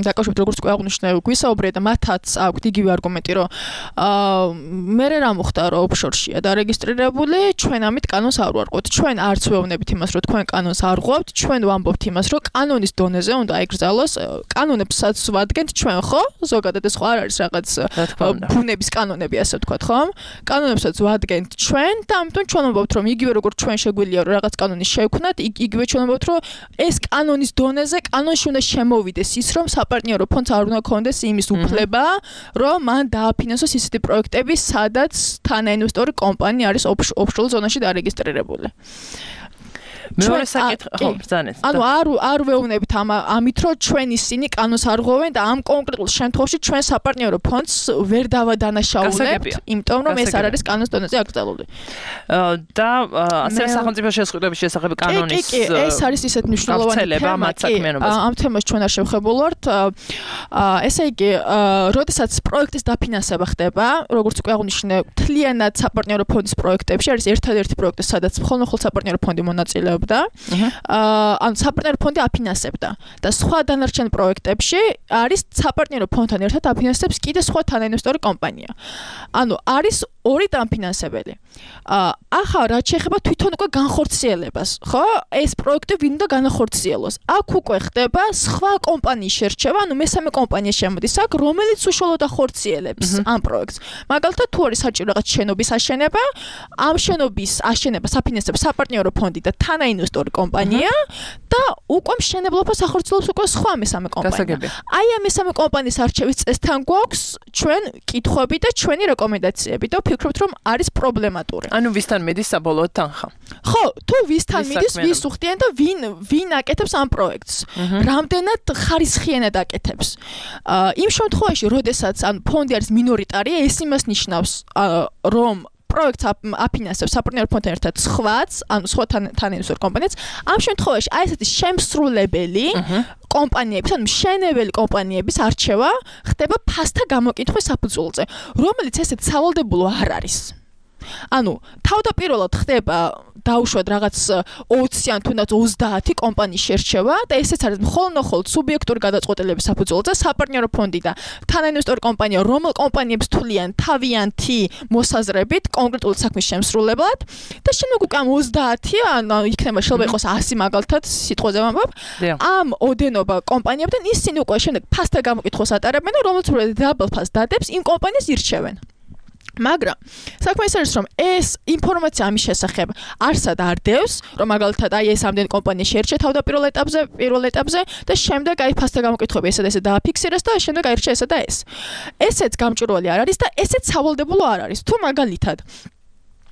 დაკავშირებით როგორც გვაღვნიშნე გვისაუბრია და მათაც აქვთ იგივე არგუმენტი რომ მე რა მოხდა რომ ოფშორშია დარეგისტრირებული ჩვენ ამით კანონს არ ვარღვევთ ჩვენ არც ვეუბნებით იმას რომ თქვენ კანონს არ ღვევთ ჩვენ ვამბობთ იმას რომ კანონის დონეზე უნდა ეკრძალოს კანონებსაც ვადგენთ ჩვენ ხო ზოგადად ეს ხო არ არის რაღაც ბუნების კანონები ასე ვთქვათ ხო კანონებსაც ვადგენთ ჩვენ და ამიტომ ჩვენ ვამბობთ რომ იგივე როგორც ჩვენ შეგვიძლია რომ რაღაც კანონი შევქმნათ იგივე ჩვენ ვამბობთ რომ ეს კანონის დონეზე კანონში უნდა შემოვიდეს ის რომ საპარტნიორო ფონდს არ უნდა ქონდეს იმის უფლება რომ მან დააფინანსოს ისეთი პროექტები სადაც თანაინვესტორი კომპანია არის ოფშორ ზონაში დარეგისტრირებული მეორე საკითხი ხო ბრძანეთ ანუ არ არ ვეუბნებით ამ ამით რომ ჩვენ ისინი კანონს არ ღვევენ და ამ კონკრეტულ შემთხვევაში ჩვენ საპარტნიორო ფონდს ვერ დავადანაშაულებთ იმიტომ რომ ეს არ არის კანონის დონეზე აკრძალული და ასევე სახელმწიფო შესყიდვების შესახებ კანონის კი კი ეს არის ისეთ მნიშვნელოვანი თემა ამ თემას ჩვენ არ შევხებულვართ ესე იგი როდესაც პროექტის დაფინანსება ხდება როგორც უკვე აღვნიშნე მთლიანად საპარტნიორო ფონდის პროექტებში არის ერთადერთი პროექტი სადაც მხოლოდ საპარტნიორო ფონდი მონაწილეობს და ანუ საპარტნიორო ფონდი აფინანსებდა და სხვა დანარჩენ პროექტებში არის საპარტნიორო ფონდთან ერთად აფინანსებს კიდე სხვა თანაინვესტორი კომპანია. ანუ არის ორი დამფინანსებელი. ახლა რაც შეეხება თვითონ უკვე განხორციელებას, ხო? ეს პროექტი ვინ უნდა განახორციელოს? აქ უკვე ხდება სხვა კომპანიის შერჩევა, ანუ მესამე კომპანია შემოდის აქ, რომელიც უშუალოდ ახორციელებს ამ პროექტს. მაგალითად, თუ არის საჭირო რაღაც შენობის აშენება, ამ შენობის აშენებას აფინანსებს საპარტნიორო ფონდი და თანაინვესტორი კომპანია და უკვე მშენებლობას ახორციელებს უკვე სხვა მესამე კომპანია. აი ამ მესამე კომპანიის არჩევის წესთან გვაქვს ჩვენ კითხვები და ჩვენი რეკომენდაციები და ვფიქრობთ რომ არის პრობლემატური. ანუ ვისთან მიდის საბოლოოდ თანხა? ხო, თუ ვისთან მიდის, ვის უხდიან და ვინ ვინ აკეთებს ამ პროექტს? რამდენად ხარისხიანად აკეთებს? იმ შემთხვევაში, როდესაც ან ფონდი არის მინორიტარი, ეს იმას ნიშნავს, რომ პროექტს აფინანსებს საპარტნიორო ფონდთან ერთად სხვაც, ანუ სხვა თანაინვესტორ კომპანიაც. ამ შემთხვევაში აი ესეთი შემსრულებელი კომპანიების, ანუ მშენებელი კომპანიების არჩევა ხდება ფასთა გამოკითხვის საფუძველზე, რომელიც ესეთ სავალდებულო არ არის. ანუ თავდაპირველად ხდება დაუშვათ რაღაც ოცი ან თუნდაც ოცდაათი კომპანიის შერჩევა და ესეც არის მხოლოდ სუბიექტური გადაწყვეტილების საფუძველზე საპარტნიორო ფონდი და თანაინვესტორი კომპანია რომელ კომპანიებს თვლიან თავიანთი მოსაზრებით კონკრეტული საქმის შემსრულებლად და შემდეგ უკვე ამ ოცდაათი ან იქნება შეიძლება იყოს ასი მაგალითად სიტყვაზე ვამბობ ამ ოდენობა კომპანიებთან ისინი უკვე შემდეგ ფასთა გამოკითხვას ატარებენ და რომელიც უფრო დაბალ ფასს დადებს იმ კომპანიას ირჩევენ. მაგრამ საქმე ის არის რომ ეს ინფორმაცია ამის შესახებ არსად არ დევს რომ მაგალითად აი ეს ამდენი კომპანია შეერჩა თავდაპირველ ეტაპზე პირველ ეტაპზე და შემდეგ აი ფასთა გამოკითხები ესა და ესა დააფიქსირეს და შემდეგ აირჩა ესა და ეს ესეც გამჭვირვალე არ არის და ესეც სავალდებულო არ არის თუ მაგალითად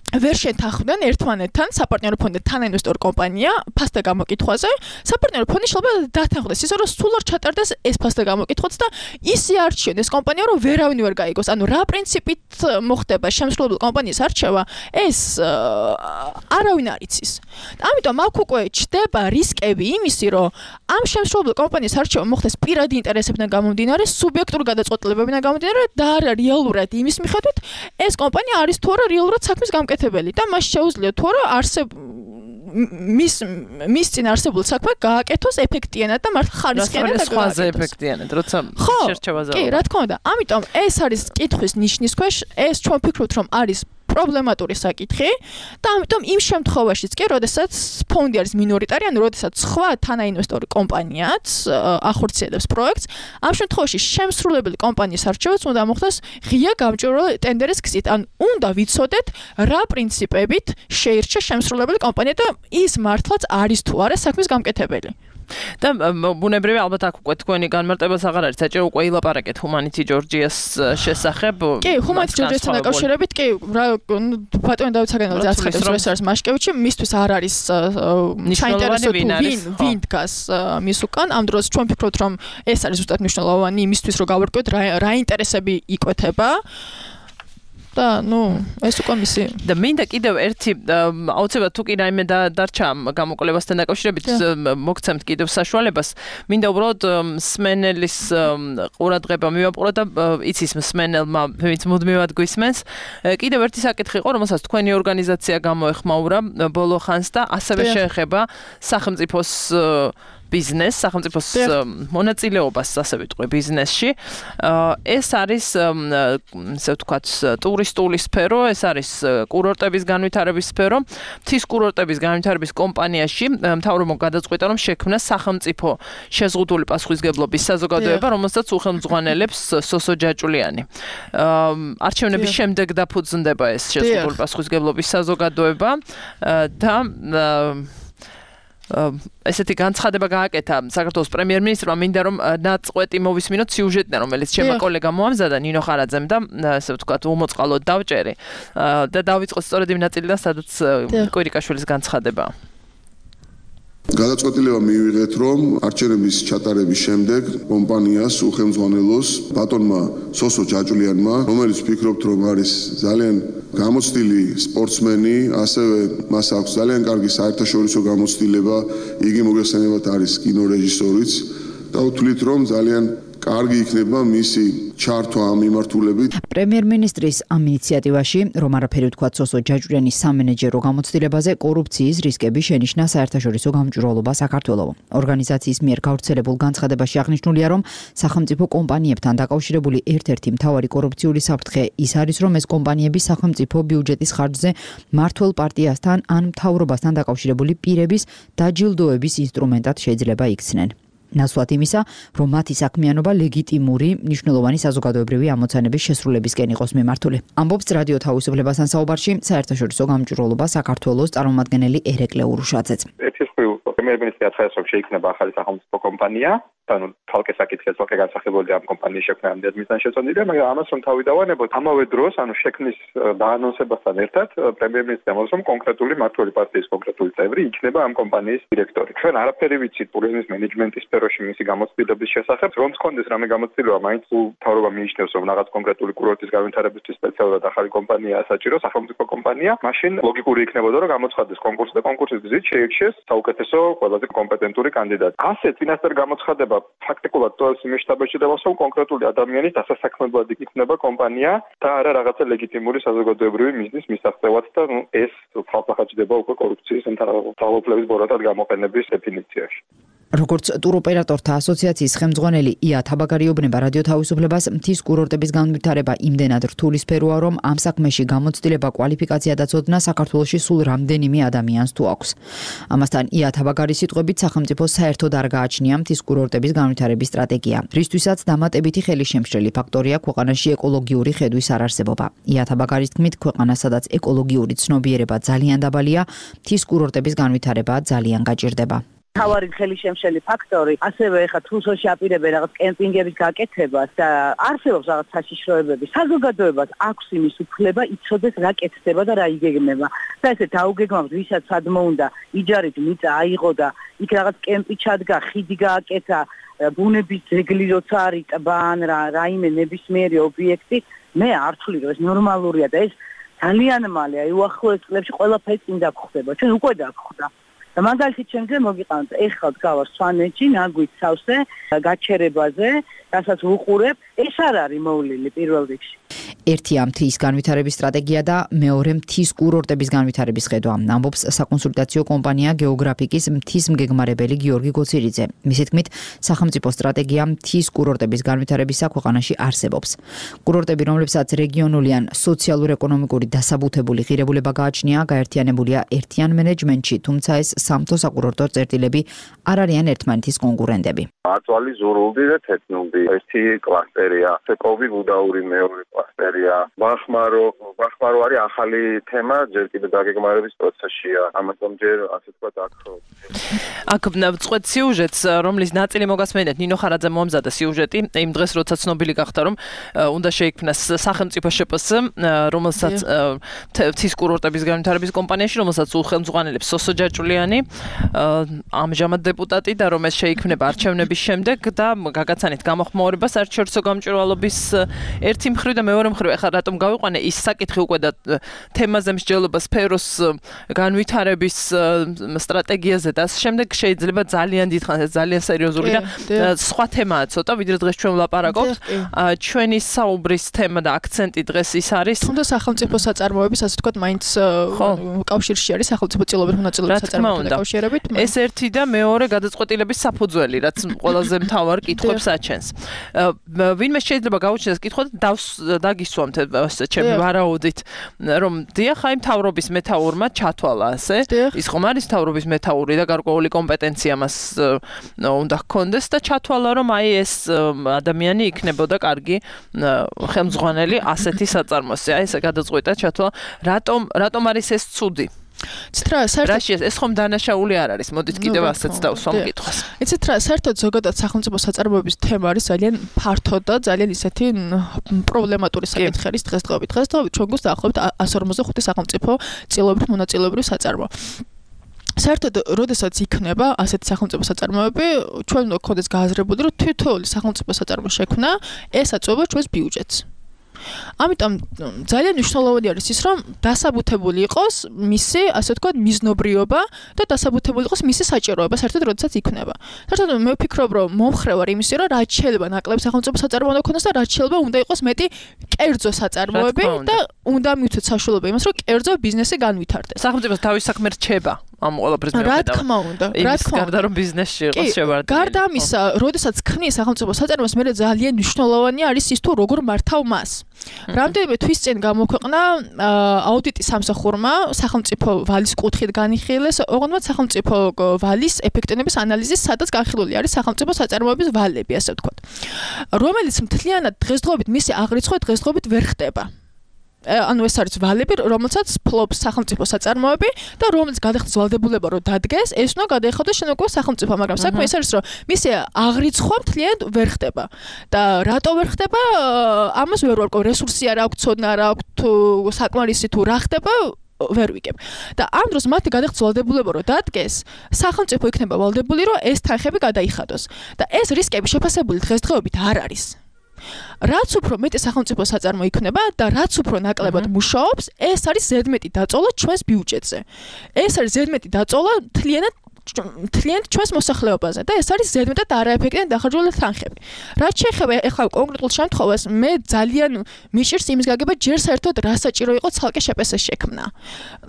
ვერ შეთანხმდნენ ერთმანეთთან საპარტნიორო ფონდი თანაინვესტორ კომპანია ფასთა გამოკითხვაზე საპარტნიორო ფონდი შეიძლება დათანხმდეს ისე რომ სულ არ ჩატარდეს ეს ფასთა გამოკითხვაც და ისე არჩიონ ეს კომპანია რომ ვერავინ ვერ გაიგოს ანუ რა პრინციპით მოხდება შემსრულებელი კომპანიის არჩევა ეს არავინ არ იცის ამიტომ აქ უკვე ჩდება რისკები იმისი რომ ამ შემსრულებელი კომპანიის არჩევა მოხდეს პირადი ინტერესებიდან გამომდინარე სუბიექტური გადაწყვეტილებებიდან გამომდინარე და არა რეალურად იმის მიხედვით ეს კომპანია არის თუ არა რეალურად საქმის გამკეთებელი და მას შეუძლია თუ არა არსებ მის მის წინ არსებულ საქმე გააკეთოს ეფექტიანად და მართლა ხარისხიანად და სხვაზე ეფექტიანად როცა შერჩევაზე კი რა თქმა უნდა ამიტომ ეს არის კითხვის ნიშნის ქვეშ ეს ჩვენ ვფიქრობთ რომ არის პრობლემატური საკითხი და ამიტომ იმ შემთხვევაშიც კი, როდესაც ფონდი არის მინორიტარი, ანუ როდესაც სხვა თანაინვესტორი კომპანიაც ახორციელებს პროექტს, ამ შემთხვევაში შემსრულებელი კომპანიის არჩევაც უნდა მოხდეს ღია გამჭვირვალე ტენდერის გზით. ან უნდა ვიცოდეთ რა პრინციპებით შეირჩა შემსრულებელი კომპანია და ის მართლაც არის თუ არა საქმის გამკეთებელი. და ბუნებრივია ალბათ აქ უკვე თქვენი განმარტებას აღარ არის საჭირო უკვე ილაპარაკეთ ჰუმანიტი ჯორჯიას შესახებ. კი, ჰუმანიტი ჯორჯიასთან დაკავშირებით, კი, ბატონი დავით საგანელაძე აცხადებს, რომ ეს არის მაშკევიჩი, მისთვის არ არის საინტერესო თუ ვინ ვინ დგას მის უკან. ამ დროს ჩვენ ვფიქრობთ, რომ ეს არის ზუსტად მნიშვნელოვანი იმისთვის, რომ გავარკვიოთ რა ინტერესები იკვეთება. და ნუ ეს უკვე მისი და მინდა კიდევ ერთი აუცილებლად თუ კი რაიმე დარჩა გამოკვლევასთან დაკავშირებით მოგცემთ კიდევ საშუალებას მინდა უბრალოდ მსმენელის ყურადღება მივაპყრო და იცის მსმენელმა ვინც მუდმივად გვისმენს კიდევ ერთი საკითხი იყო რომელსაც თქვენი ორგანიზაცია გამოეხმაურა ბოლო ხანს და ასევე შეეხება სახელმწიფოს ბიზნეს, სახელმწიფოს მონაწილეობას, ასე ვიტყვი, ბიზნესში. ეს არის, ასე ვთქვათ, ტურისტული სფერო, ეს არის კურორტების განვითარების სფერო. მთის კურორტების განვითარების კომპანიაში მთავრობამ გადაწყვიტა, რომ შექმნა სახელმწიფო შეზღუდული პასუხისმგებლობის საზოგადოება, რომელსაც უხელმძღვანელებს სოსო ჯაჭულიანი. არჩევნების შემდეგ დაფუძნდება ეს შეზღუდული პასუხისმგებლობის საზოგადოება და ესეთი განცხადება გააკეთა საქართველოს პრემიერ-მინისტრმა მინდა რომ ნაწყვეტი მოვისმინოთ სიუჟეტიდან რომელიც ჩემო კოლეგამ მოამზადა ნინო ხარაძემ და ასე ვთქვათ უმოწყალოდ დავჭერი და დავიწყოთ სწორედ იმ ნაწილიდან სადაც კვირიკაშვილის განცხადებაა გადაწყვეტილება მივიღეთ, რომ არჩევნების ჩატარების შემდეგ კომპანიას უხელმძღვანელოს ბატონმა სოსო ჯაჭულიანმა, რომელიც ვფიქრობთ, რომ არის ძალიან გამოცდილი სპორტსმენი, ასევე მას აქვს ძალიან კარგი საერთაშორისო გამოცდილება, იგი მოგეხსენებათ არის კინორეჟისორიც და ვთვლით, რომ ძალიან კარგი იქნება მისი ჩართვა ამ მიმართულებით. პრემიერ-მინისტრის ამ ინიციატივაში, რომ არაფერი ვთქვათ სოსო ჯაჭულიანის სამენეჯერო გამოცდილებაზე კორუფციის რისკები შენიშნა საერთაშორისო გამჭვირვალობა საქართველოს. ორგანიზაციის მიერ გავრცელებულ განცხადებაში აღნიშნულია, რომ სახელმწიფო კომპანიებთან დაკავშირებული ერთ-ერთი მთავარი კორუფციული საფრთხე ის არის, რომ ეს კომპანიები სახელმწიფო ბიუჯეტის ხარჯზე მმართველ პარტიასთან ან მთავრობასთან დაკავშირებული პირების დაჯილდოების ინსტრუმენტად შეიძლება იქცნენ. ნაცვლად იმისა, რომ მათი საქმიანობა ლეგიტიმური, მნიშვნელოვანი საზოგადოებრივი ამოცანების შესრულებისკენ იყოს მიმართული. ამბობს რადიო თავისუფლებასთან საუბარში საერთაშორისო გამჭვირვალობა საქართველოს წარმომადგენელი ერეკლე ურუშაძეც. პრემიერ-მინისტრი აცხადებს, რომ შეიქმნება ახალი სახელმწიფო კომპანია, ანუ თალკე საკითხია თალკე განსახილველი ამ კომპანიის შექმნა ამ დედმისთან შეწონილია, მაგრამ ამას რომ თავი დავანებოთ, ამავე დროს, ანუ შექმნის დაანონსებასთან ერთად, პრემიერ-მინისტრი ამბობს, რომ კონკრეტული მმართველი პარტიის კონკრეტული წევრი იქნება ამ კომპანიის დირექტორი. ჩვენ არაფერი ვიცით ტურიზმის მენეჯმენტის სფეროში მისი გამოცდილების შესახებ, რომ მქონდეს რამე გამოცდილება, მაინც მთავრობა მიიჩნევს, რომ რაღაც კონკრეტული კურორტის განვითარებისთვის სპეციალურად ახალი კომპანიაა საჭირო, სახელმწიფო კომპანია, მაშინ ლოგიკური იქნებოდა, რომ გამოცხადდეს კონკურსი და კონკურსის გზით შეირჩიეს საუკეთესო ყველაზე კომპეტენტური კანდიდატი. ასე წინასწარ გამოცხადება ფაქტიკულად ტოელს იმის შტაბეჭდებას, რომ კონკრეტული ადამიანის დასასაქმებლად იქნება კომპანია და არა რაღაცა ლეგიტიმური საზოგადოებრივი მიზნის მისაღწევად და ნუ ეს ხალხახაჭდება უკვე კორუფციის მთავრობის ბოროტად გამოყენების დეფინიციაში. როგორც ტუროპერატორთა ასოციაციის ხელმძღვანელი ია თაბაგარიობნება რადიო თავისუფლებას მთის კურორტების განვითარება იმდენად რთული სფეროა, რომ ამ საქმეში გამოცდილება, კვალიფიკაცია და ცოდნა საქართველოში სულ რამდენიმე ადამიანს თუ აქვს. ამასთან ია თაბაგარის სიტყვებით სახელმწიფო საერთოდ არ გააჩნია მთის კურორტების განვითარების სტრატეგია, რისთვისაც დამატებითი ხელისშემშლელი ფაქტორია ქვეყანაში ეკოლოგიური ხედვის არარსებობა. ია თაბაგარის თქმით, ქვეყანა სადაც ეკოლოგიური ცნობიერება ძალიან დაბალია, მთის კურორტების განვითარება ძალიან გაჭირდება. თავარი ხელისშემშლელი ფაქტორი, ასევე ეხა თუსოში აპირებენ რაღაც კემპინგების გაკეთებას და არსებობს რაღაც საშიშროებები. საზოგადოებას აქვს იმის უფლება იცოდეს რა კეთდება და რა იგეგმება. და ესე დაუგეგმავთ, ვისაც სადმო უნდა იჯარით მიწა აიღო და იქ რაღაც კემპი ჩადგა, ხიდი გააკეთა, ბუნების ძეგლი როცა არის ტბა ან რაიმე ნებისმიერი ობიექტი, მე არ ვთვლი რომ ეს ნორმალურია და ეს ძალიან მალე, აი უახლოეს წლებში ყველაფერი წინ დაგხვდება. ჩვენ უკვე დაგხვდა. და მაგალითად ჩემზე მოგიყავთ ეხლა გავარ სვანეთში, ნაგვით სავსე, გაჩერებაზე, რასაც ვუყურებ, ეს არ არის მოვლილი პირველ რიგში. ერთია მთის განვითარების სტრატეგია და მეორე მთის კურორტების განვითარების ხედვა. ამბობს საკონსულტაციო კომპანია გეოგრაფიკის მთის მგეგმარებელი გიორგი გოცირიძე. მისი თქმით, სახელმწიფო სტრატეგია მთის კურორტების განვითარებისა ქვეყანაში არსებობს. კურორტები, რომლებსაც რეგიონული ან სოციალურ-ეკონომიკური დასაბუთებული ღირებულება გააჩნია, გაერთიანებულია ერთიან მენეჯმენტში, თუმცა ეს სამთო საკურორტო წერტილები არ არიან ერთმანეთის კონკურენტები. აწვალი ზურულდი და თეთნულდი ერთი კლასტერია, სეკოვი გუდაური მეორე კლასტერი. მიღებულია. ვახმარო, ვახმარო არის ახალი თემა, ჯერ კიდევ დაგეგმარების პროცესშია. ამიტომ ჯერ ასე ვთქვათ აქ აქ წყვეთ სიუჟეტს, რომლის ნაწილი მოგასმენთ ნინო ხარაძე მომზადა სიუჟეტი, იმ დღეს როცა ცნობილი გახდა, რომ უნდა შეიქმნას სახელმწიფო შპს, რომელსაც მთის კურორტების განვითარების კომპანიაში, რომელსაც უხელმძღვანელებს სოსო ჯაჭულიანი, ამჟამად დეპუტატი და რომ ეს შეიქმნება არჩევნების შემდეგ და გაგაცანით გამოხმაურება საერთაშორისო გამჭვირვალობის ერთი მხრივ და მეორე მხრივ. ეხლა რატომ გავიყვანე ის საკითხი უკვე და თემაზე მსჯელობა სფეროს განვითარების სტრატეგიაზე და ამ შემდეგ შეიძლება ძალიან დიდხანს ძალიან სერიოზული და სხვა თემაა ცოტა ვიდრე დღეს ჩვენ ვლაპარაკობთ. ჩვენი საუბრის თემა და აქცენტი დღეს ის არის თუნდაც სახელმწიფო საწარმოების ასე ვთქვათ მაინც კავშირში არის სახელმწიფო წილობებით მონაწილეობის საწარმოებთან დაკავშირებით. ეს ერთი და მეორე გადაწყვეტილების საფუძველი, რაც ყველაზე მთავარ კითხვებს აჩენს. ვინმე შეიძლება გაუჩნდეს კითხვა და დაგისვამთ ჩემი ვარაუდით, რომ დიახ, აი მთავრობის მეთაურმა ჩათვალა ასე. ის ხომ არის მთავრობის მეთაური და გარკვეული კომპეტენცია მას უნდა ჰქონდეს და ჩათვალა, რომ აი ეს ადამიანი იქნებოდა კარგი ხელმძღვანელი ასეთი საწარმოზე. აი ესე გადაწყვეტა ჩათვალა, რატომ რატომ არის ეს ცუდი? ცტრა საერთოდ ეს ხომ დანაშაული არ არის. მოდით კიდევ ასეც დავსვამ კითხვას. იცით რა, საერთოდ ზოგადად სახელმწიფო საწარმოების თემა არის ძალიან ფართო და ძალიან ისეთი პრობლემატური საკითხი არის დღესდღეობით. დღესდღეობით ჩვენ გვაქვს დაახლოებით εκατს ორმოცდახუთი სახელმწიფო წილობრივ მონაწილეობრივ საწარმო. საერთოდ, როდესაც იქნება ასეთი სახელმწიფო საწარმოები, ჩვენ უნდა გქონდეს გააზრებული, რომ თითოეული სახელმწიფო საწარმო შექმნა ესაწვება ჩვენს ბიუჯეტს. ამიტომ ძალიან მნიშვნელოვანი არის ის, რომ დასაბუთებული იყოს მისი, ასე ვთქვათ, მიზნობრიობა და დასაბუთებული იყოს მისი საჭიროება, საერთოდ როდესაც იქნება. საერთოდ მე ვფიქრობ, რომ მომხრე ვარ იმისი, რომ რაც შეიძლება ნაკლებ სახელმწიფო საწარმო უნდა ქონდეს და რაც შეიძლება უნდა იყოს მეტი კერძო საწარმოები და უნდა მივცეთ საშუალება იმას, რომ კერძო ბიზნესი განვითარდეს. სახელმწიფოს თავის საქმე რჩება ამ ყველაფრის მეუღლეობა. რა თქმა უნდა, რა თქმა უნდა, გარდა რომ ბიზნესში იყოს შევარდნილი. გარდა ამისა, როდესაც ქმნის სახელმწიფო საწარმოს, მე ძალიან მნიშვნელოვანი არის ის თუ როგორ მართავ მას. რამდენიმე თვის წინ გამოქვეყნა აუდიტი სამსახურმა სახელმწიფო ვალის კუთხით განიხილეს, ოღონდ სახელმწიფო ვალის ეფექტიანობის ანალიზის, სადაც განხილული არის სახელმწიფო საწარმოების ვალები, ასე ვთქვათ, რომელიც მთლიანად დღესდღეობით მისი აღრიცხვა დღესდღეობით ვერ ხდება. ანუ ეს არის ვალები, რომელსაც ფლობს სახელმწიფო საწარმოები და რომელიც გადახდის ვალდებულება რომ დადგეს, ეს უნდა გადაიხადოს შენ უკვე სახელმწიფო, მაგრამ საქმე ეს არის რომ მისი აღრიცხვა მთლიანად ვერ ხდება. და რატო ვერ ხდება? ამას ვერ ვარკვევ, რესურსი არ აქვს, ცოდნა არ აქვს, თუ საკმარისი თუ რა ხდება, ვერ ვიგებ. და ამ დროს მათი გადახდის ვალდებულება რომ დადგეს, სახელმწიფო იქნება ვალდებული რომ ეს თანხები გადაიხადოს. და ეს რისკები შეფასებული დღესდღეობით არ არის. რაც უფრო მეტი სახელმწიფო საწარმო იქნება და რაც უფრო ნაკლებად მუშაობს, ეს არის ზედმეტი დაწოლა ჩვენს ბიუჯეტზე. ეს არის ზედმეტი დაწოლა მთლიანად მთლიანად ჩვენს მოსახლეობაზე და ეს არის ზედმეტად არაეფექტიანი დახარჯული თანხები. რაც შეეხება ახლა კონკრეტულ შემთხვევას, მე ძალიან მიჭირს იმის გაგება, ჯერ საერთოდ რა საჭირო იყო ცალკე შეპესეს შექმნა.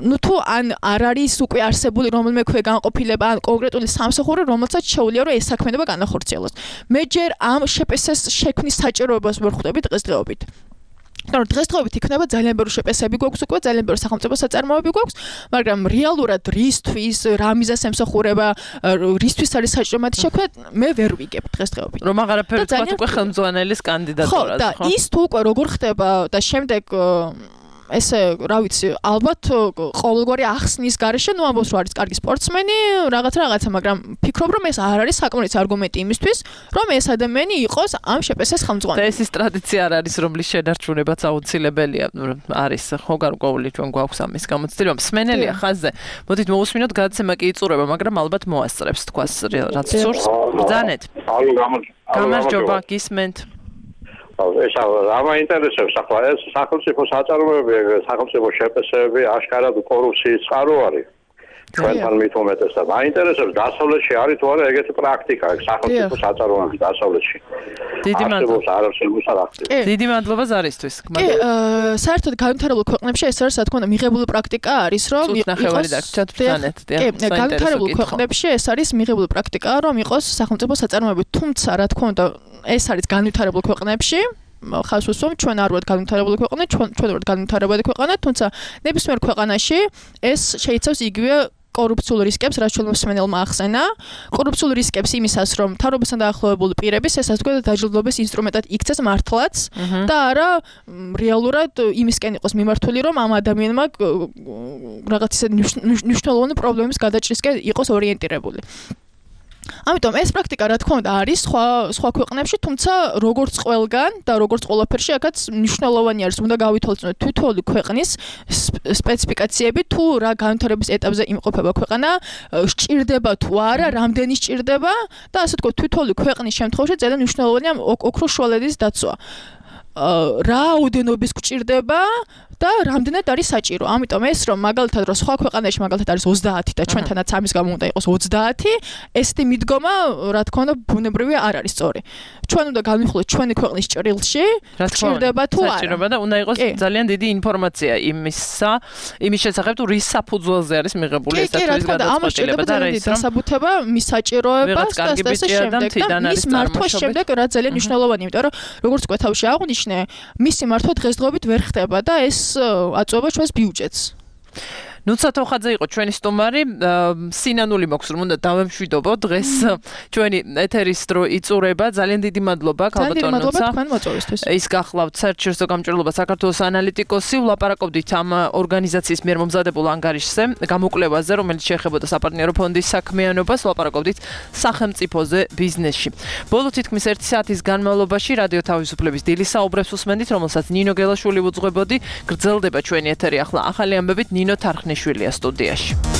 ნუ თუ ან არ არის უკვე არსებული რომელიმე ქვე განყოფილება, ან კონკრეტული სამსახური, რომელსაც შეუძლია რომ ეს საქმიანობა განახორციელოს. მე ჯერ ამ შეპესეს შექმნის საჭიროებას ვერ ხვდები დღესდღეობით. და დღესდღეობით იქნება ძალიან ბევრი შეპესები გვაქვს უკვე, ძალიან ბევრი სახელმწიფო საწარმოები გვაქვს, მაგრამ რეალურად რისთვის, რა მიზანს ემსახურება, რისთვის არის საჭირო მათი შექმნა, მე ვერ ვიგებ დღესდღეობით. რომ აღარაფერი თქვა უკვე ხელმძღვანელის კანდიდატურაზე, ხო? და ის თუ უკვე როგორ ხდება და შემდეგ ესე, რა ვიცი, ალბათ ყოველგვარი ახსნის გარეშე, ნუ ამბობს რომ არის კარგი სპორტსმენი, რაღაც რაღაცა, მაგრამ ფიქრობ რომ ეს არ არის საკმარისი არგუმენტი იმისთვის, რომ ეს ადამიანი იყოს ამ შეპესეს ხელმძღვანელი. და ეს ის ტრადიცია არ არის, რომლის შედარჩუნებაც აუცილებელია, არის ხო გარკვეული ჩვენ გვაქვს ამის გამოცდილება. მსმენელია ხაზზე. მოდით მოусმინოთ გადაცემა კი იწურება, მაგრამ ალბათ მოასწრებს თქვას რაც სურს. ბრძანეთ. გამარჯობა, გისმენთ. ეს ამა ინტერესებს ახლა ეს სახელმწიფო საწარმოები, სახელმწიფო შეპესები აშკარად კორუფციის წყარო არის. ჩვენთან მით უმეტესად. მაინტერესებს დასავლეთში არის თუ არა ეგეთი პრაქტიკა სახელმწიფო საწარმოების დასავლეთში. დიდი მადლობა. დიდი მადლობა ზარისთვის. კი, საერთოდ განვითარებულ ქვეყნებში ეს არის, რა თქმა უნდა, მიღებული პრაქტიკა არის, რომ ნახევარი დაგჭათ ბრძანეთ. კი, განვითარებულ ქვეყნებში ეს არის მიღებული პრაქტიკა, რომ იყოს სახელმწიფო საწარმოები, თუმცა რა თქმა უნდა ეს არის განვითარებულ ქვეყნებში, ხას უსვამ, ჩვენ არ ვართ განვითარებული ქვეყანა, ჩვენ ჩვენ ვართ განვითარებადი ქვეყანა, თუმცა ნებისმიერ ქვეყანაში ეს შეიცავს იგივე კორუფციულ რისკებს, რაც ჩვენ მოსმენელმა ახსენა. კორუფციულ რისკებს იმისას, რომ მთავრობასთან დაახლოებული პირების ესე ვთქვათ დაჯილდოების ინსტრუმენტად იქცეს მართლაც და არა რეალურად იმისკენ იყოს მიმართული, რომ ამ ადამიანმა რაღაც ისე მნიშვნელოვანი პრობლემის გადაჭრისკენ იყოს ორიენტირებული. ამიტომ ეს პრაქტიკა რა თქმა უნდა არის სხვა სხვა ქვეყნებში, თუმცა როგორც ყველგან და როგორც ყველაფერში, აქაც მნიშვნელოვანი არის, უნდა გავითვალისწინოთ თითოეული ქვეყნის სპეციფიკაციები, თუ რა განვითარების ეტაპზე იმყოფება ქვეყანა, სჭირდება თუ არა, რამდენი სჭირდება და ასე ვთქვათ, თითოეული ქვეყნის შემთხვევაში ძალიან მნიშვნელოვანია ოქროს შუალედის დაცვა. რაოდენობის გჭირდება და რამდენად არის საჭირო. ამიტომ ეს რომ მაგალითად რომ სხვა ქვეყანაში მაგალითად არის ოცდაათი და ჩვენთანაც ამის გამო უნდა იყოს ოცდაათი, ესეთი მიდგომა რა თქმა უნდა ბუნებრივია არ არის სწორი. ჩვენ უნდა განვიხილოთ ჩვენი ქვეყნის ჭრილში, გჭირდება თუ არა. საჭიროება და უნდა იყოს ძალიან დიდი ინფორმაცია იმისა, იმის შესახებ თუ რის საფუძველზე არის მიღებული ეს თვითონ გადაწყვეტილება და რა ის დასაბუთება მის საჭიროებას და ასე შემდეგ და მის მართვას შემდეგ რა ძალიან მნიშვნელოვანია, იმიტომ რომ როგორც თქვა თავში აღნიშნე, მისი მართვა დღესდღეობით ვერ ხდება და ეს აწუება ჩვენს ბიუჯეტს. ნუცა თოხაძე იყო ჩვენი სტუმარი. სინანული მოქვს რომ უნდა დავემშვიდობო დღეს ჩვენი ეთერის დრო იწურება. ძალიან დიდი მადლობა ქალბატონ ნუცა. ის გახლავთ საერთაშორისო გამჭვირვალობა საქართველოს ანალიტიკოსი. ვლაპარაკობდით ამ ორგანიზაციის მიერ მომზადებულ ანგარიშზე, გამოკვლევაზე, რომელიც შეეხებოდა საპარტნიორო ფონდის საქმიანობას. ვლაპარაკობდით სახელმწიფოზე ბიზნესში. ბოლო თითქმის ერთი საათის განმავლობაში რადიო თავისუფლების დილის საუბრებს უსმენდით, რომელსაც ნინო გელაშვილი უძღვებოდი. გრძელდება ჩვენი ეთერი ახლა ახალი ამბებით ნინო თარხნიშვილია სტუდიაში.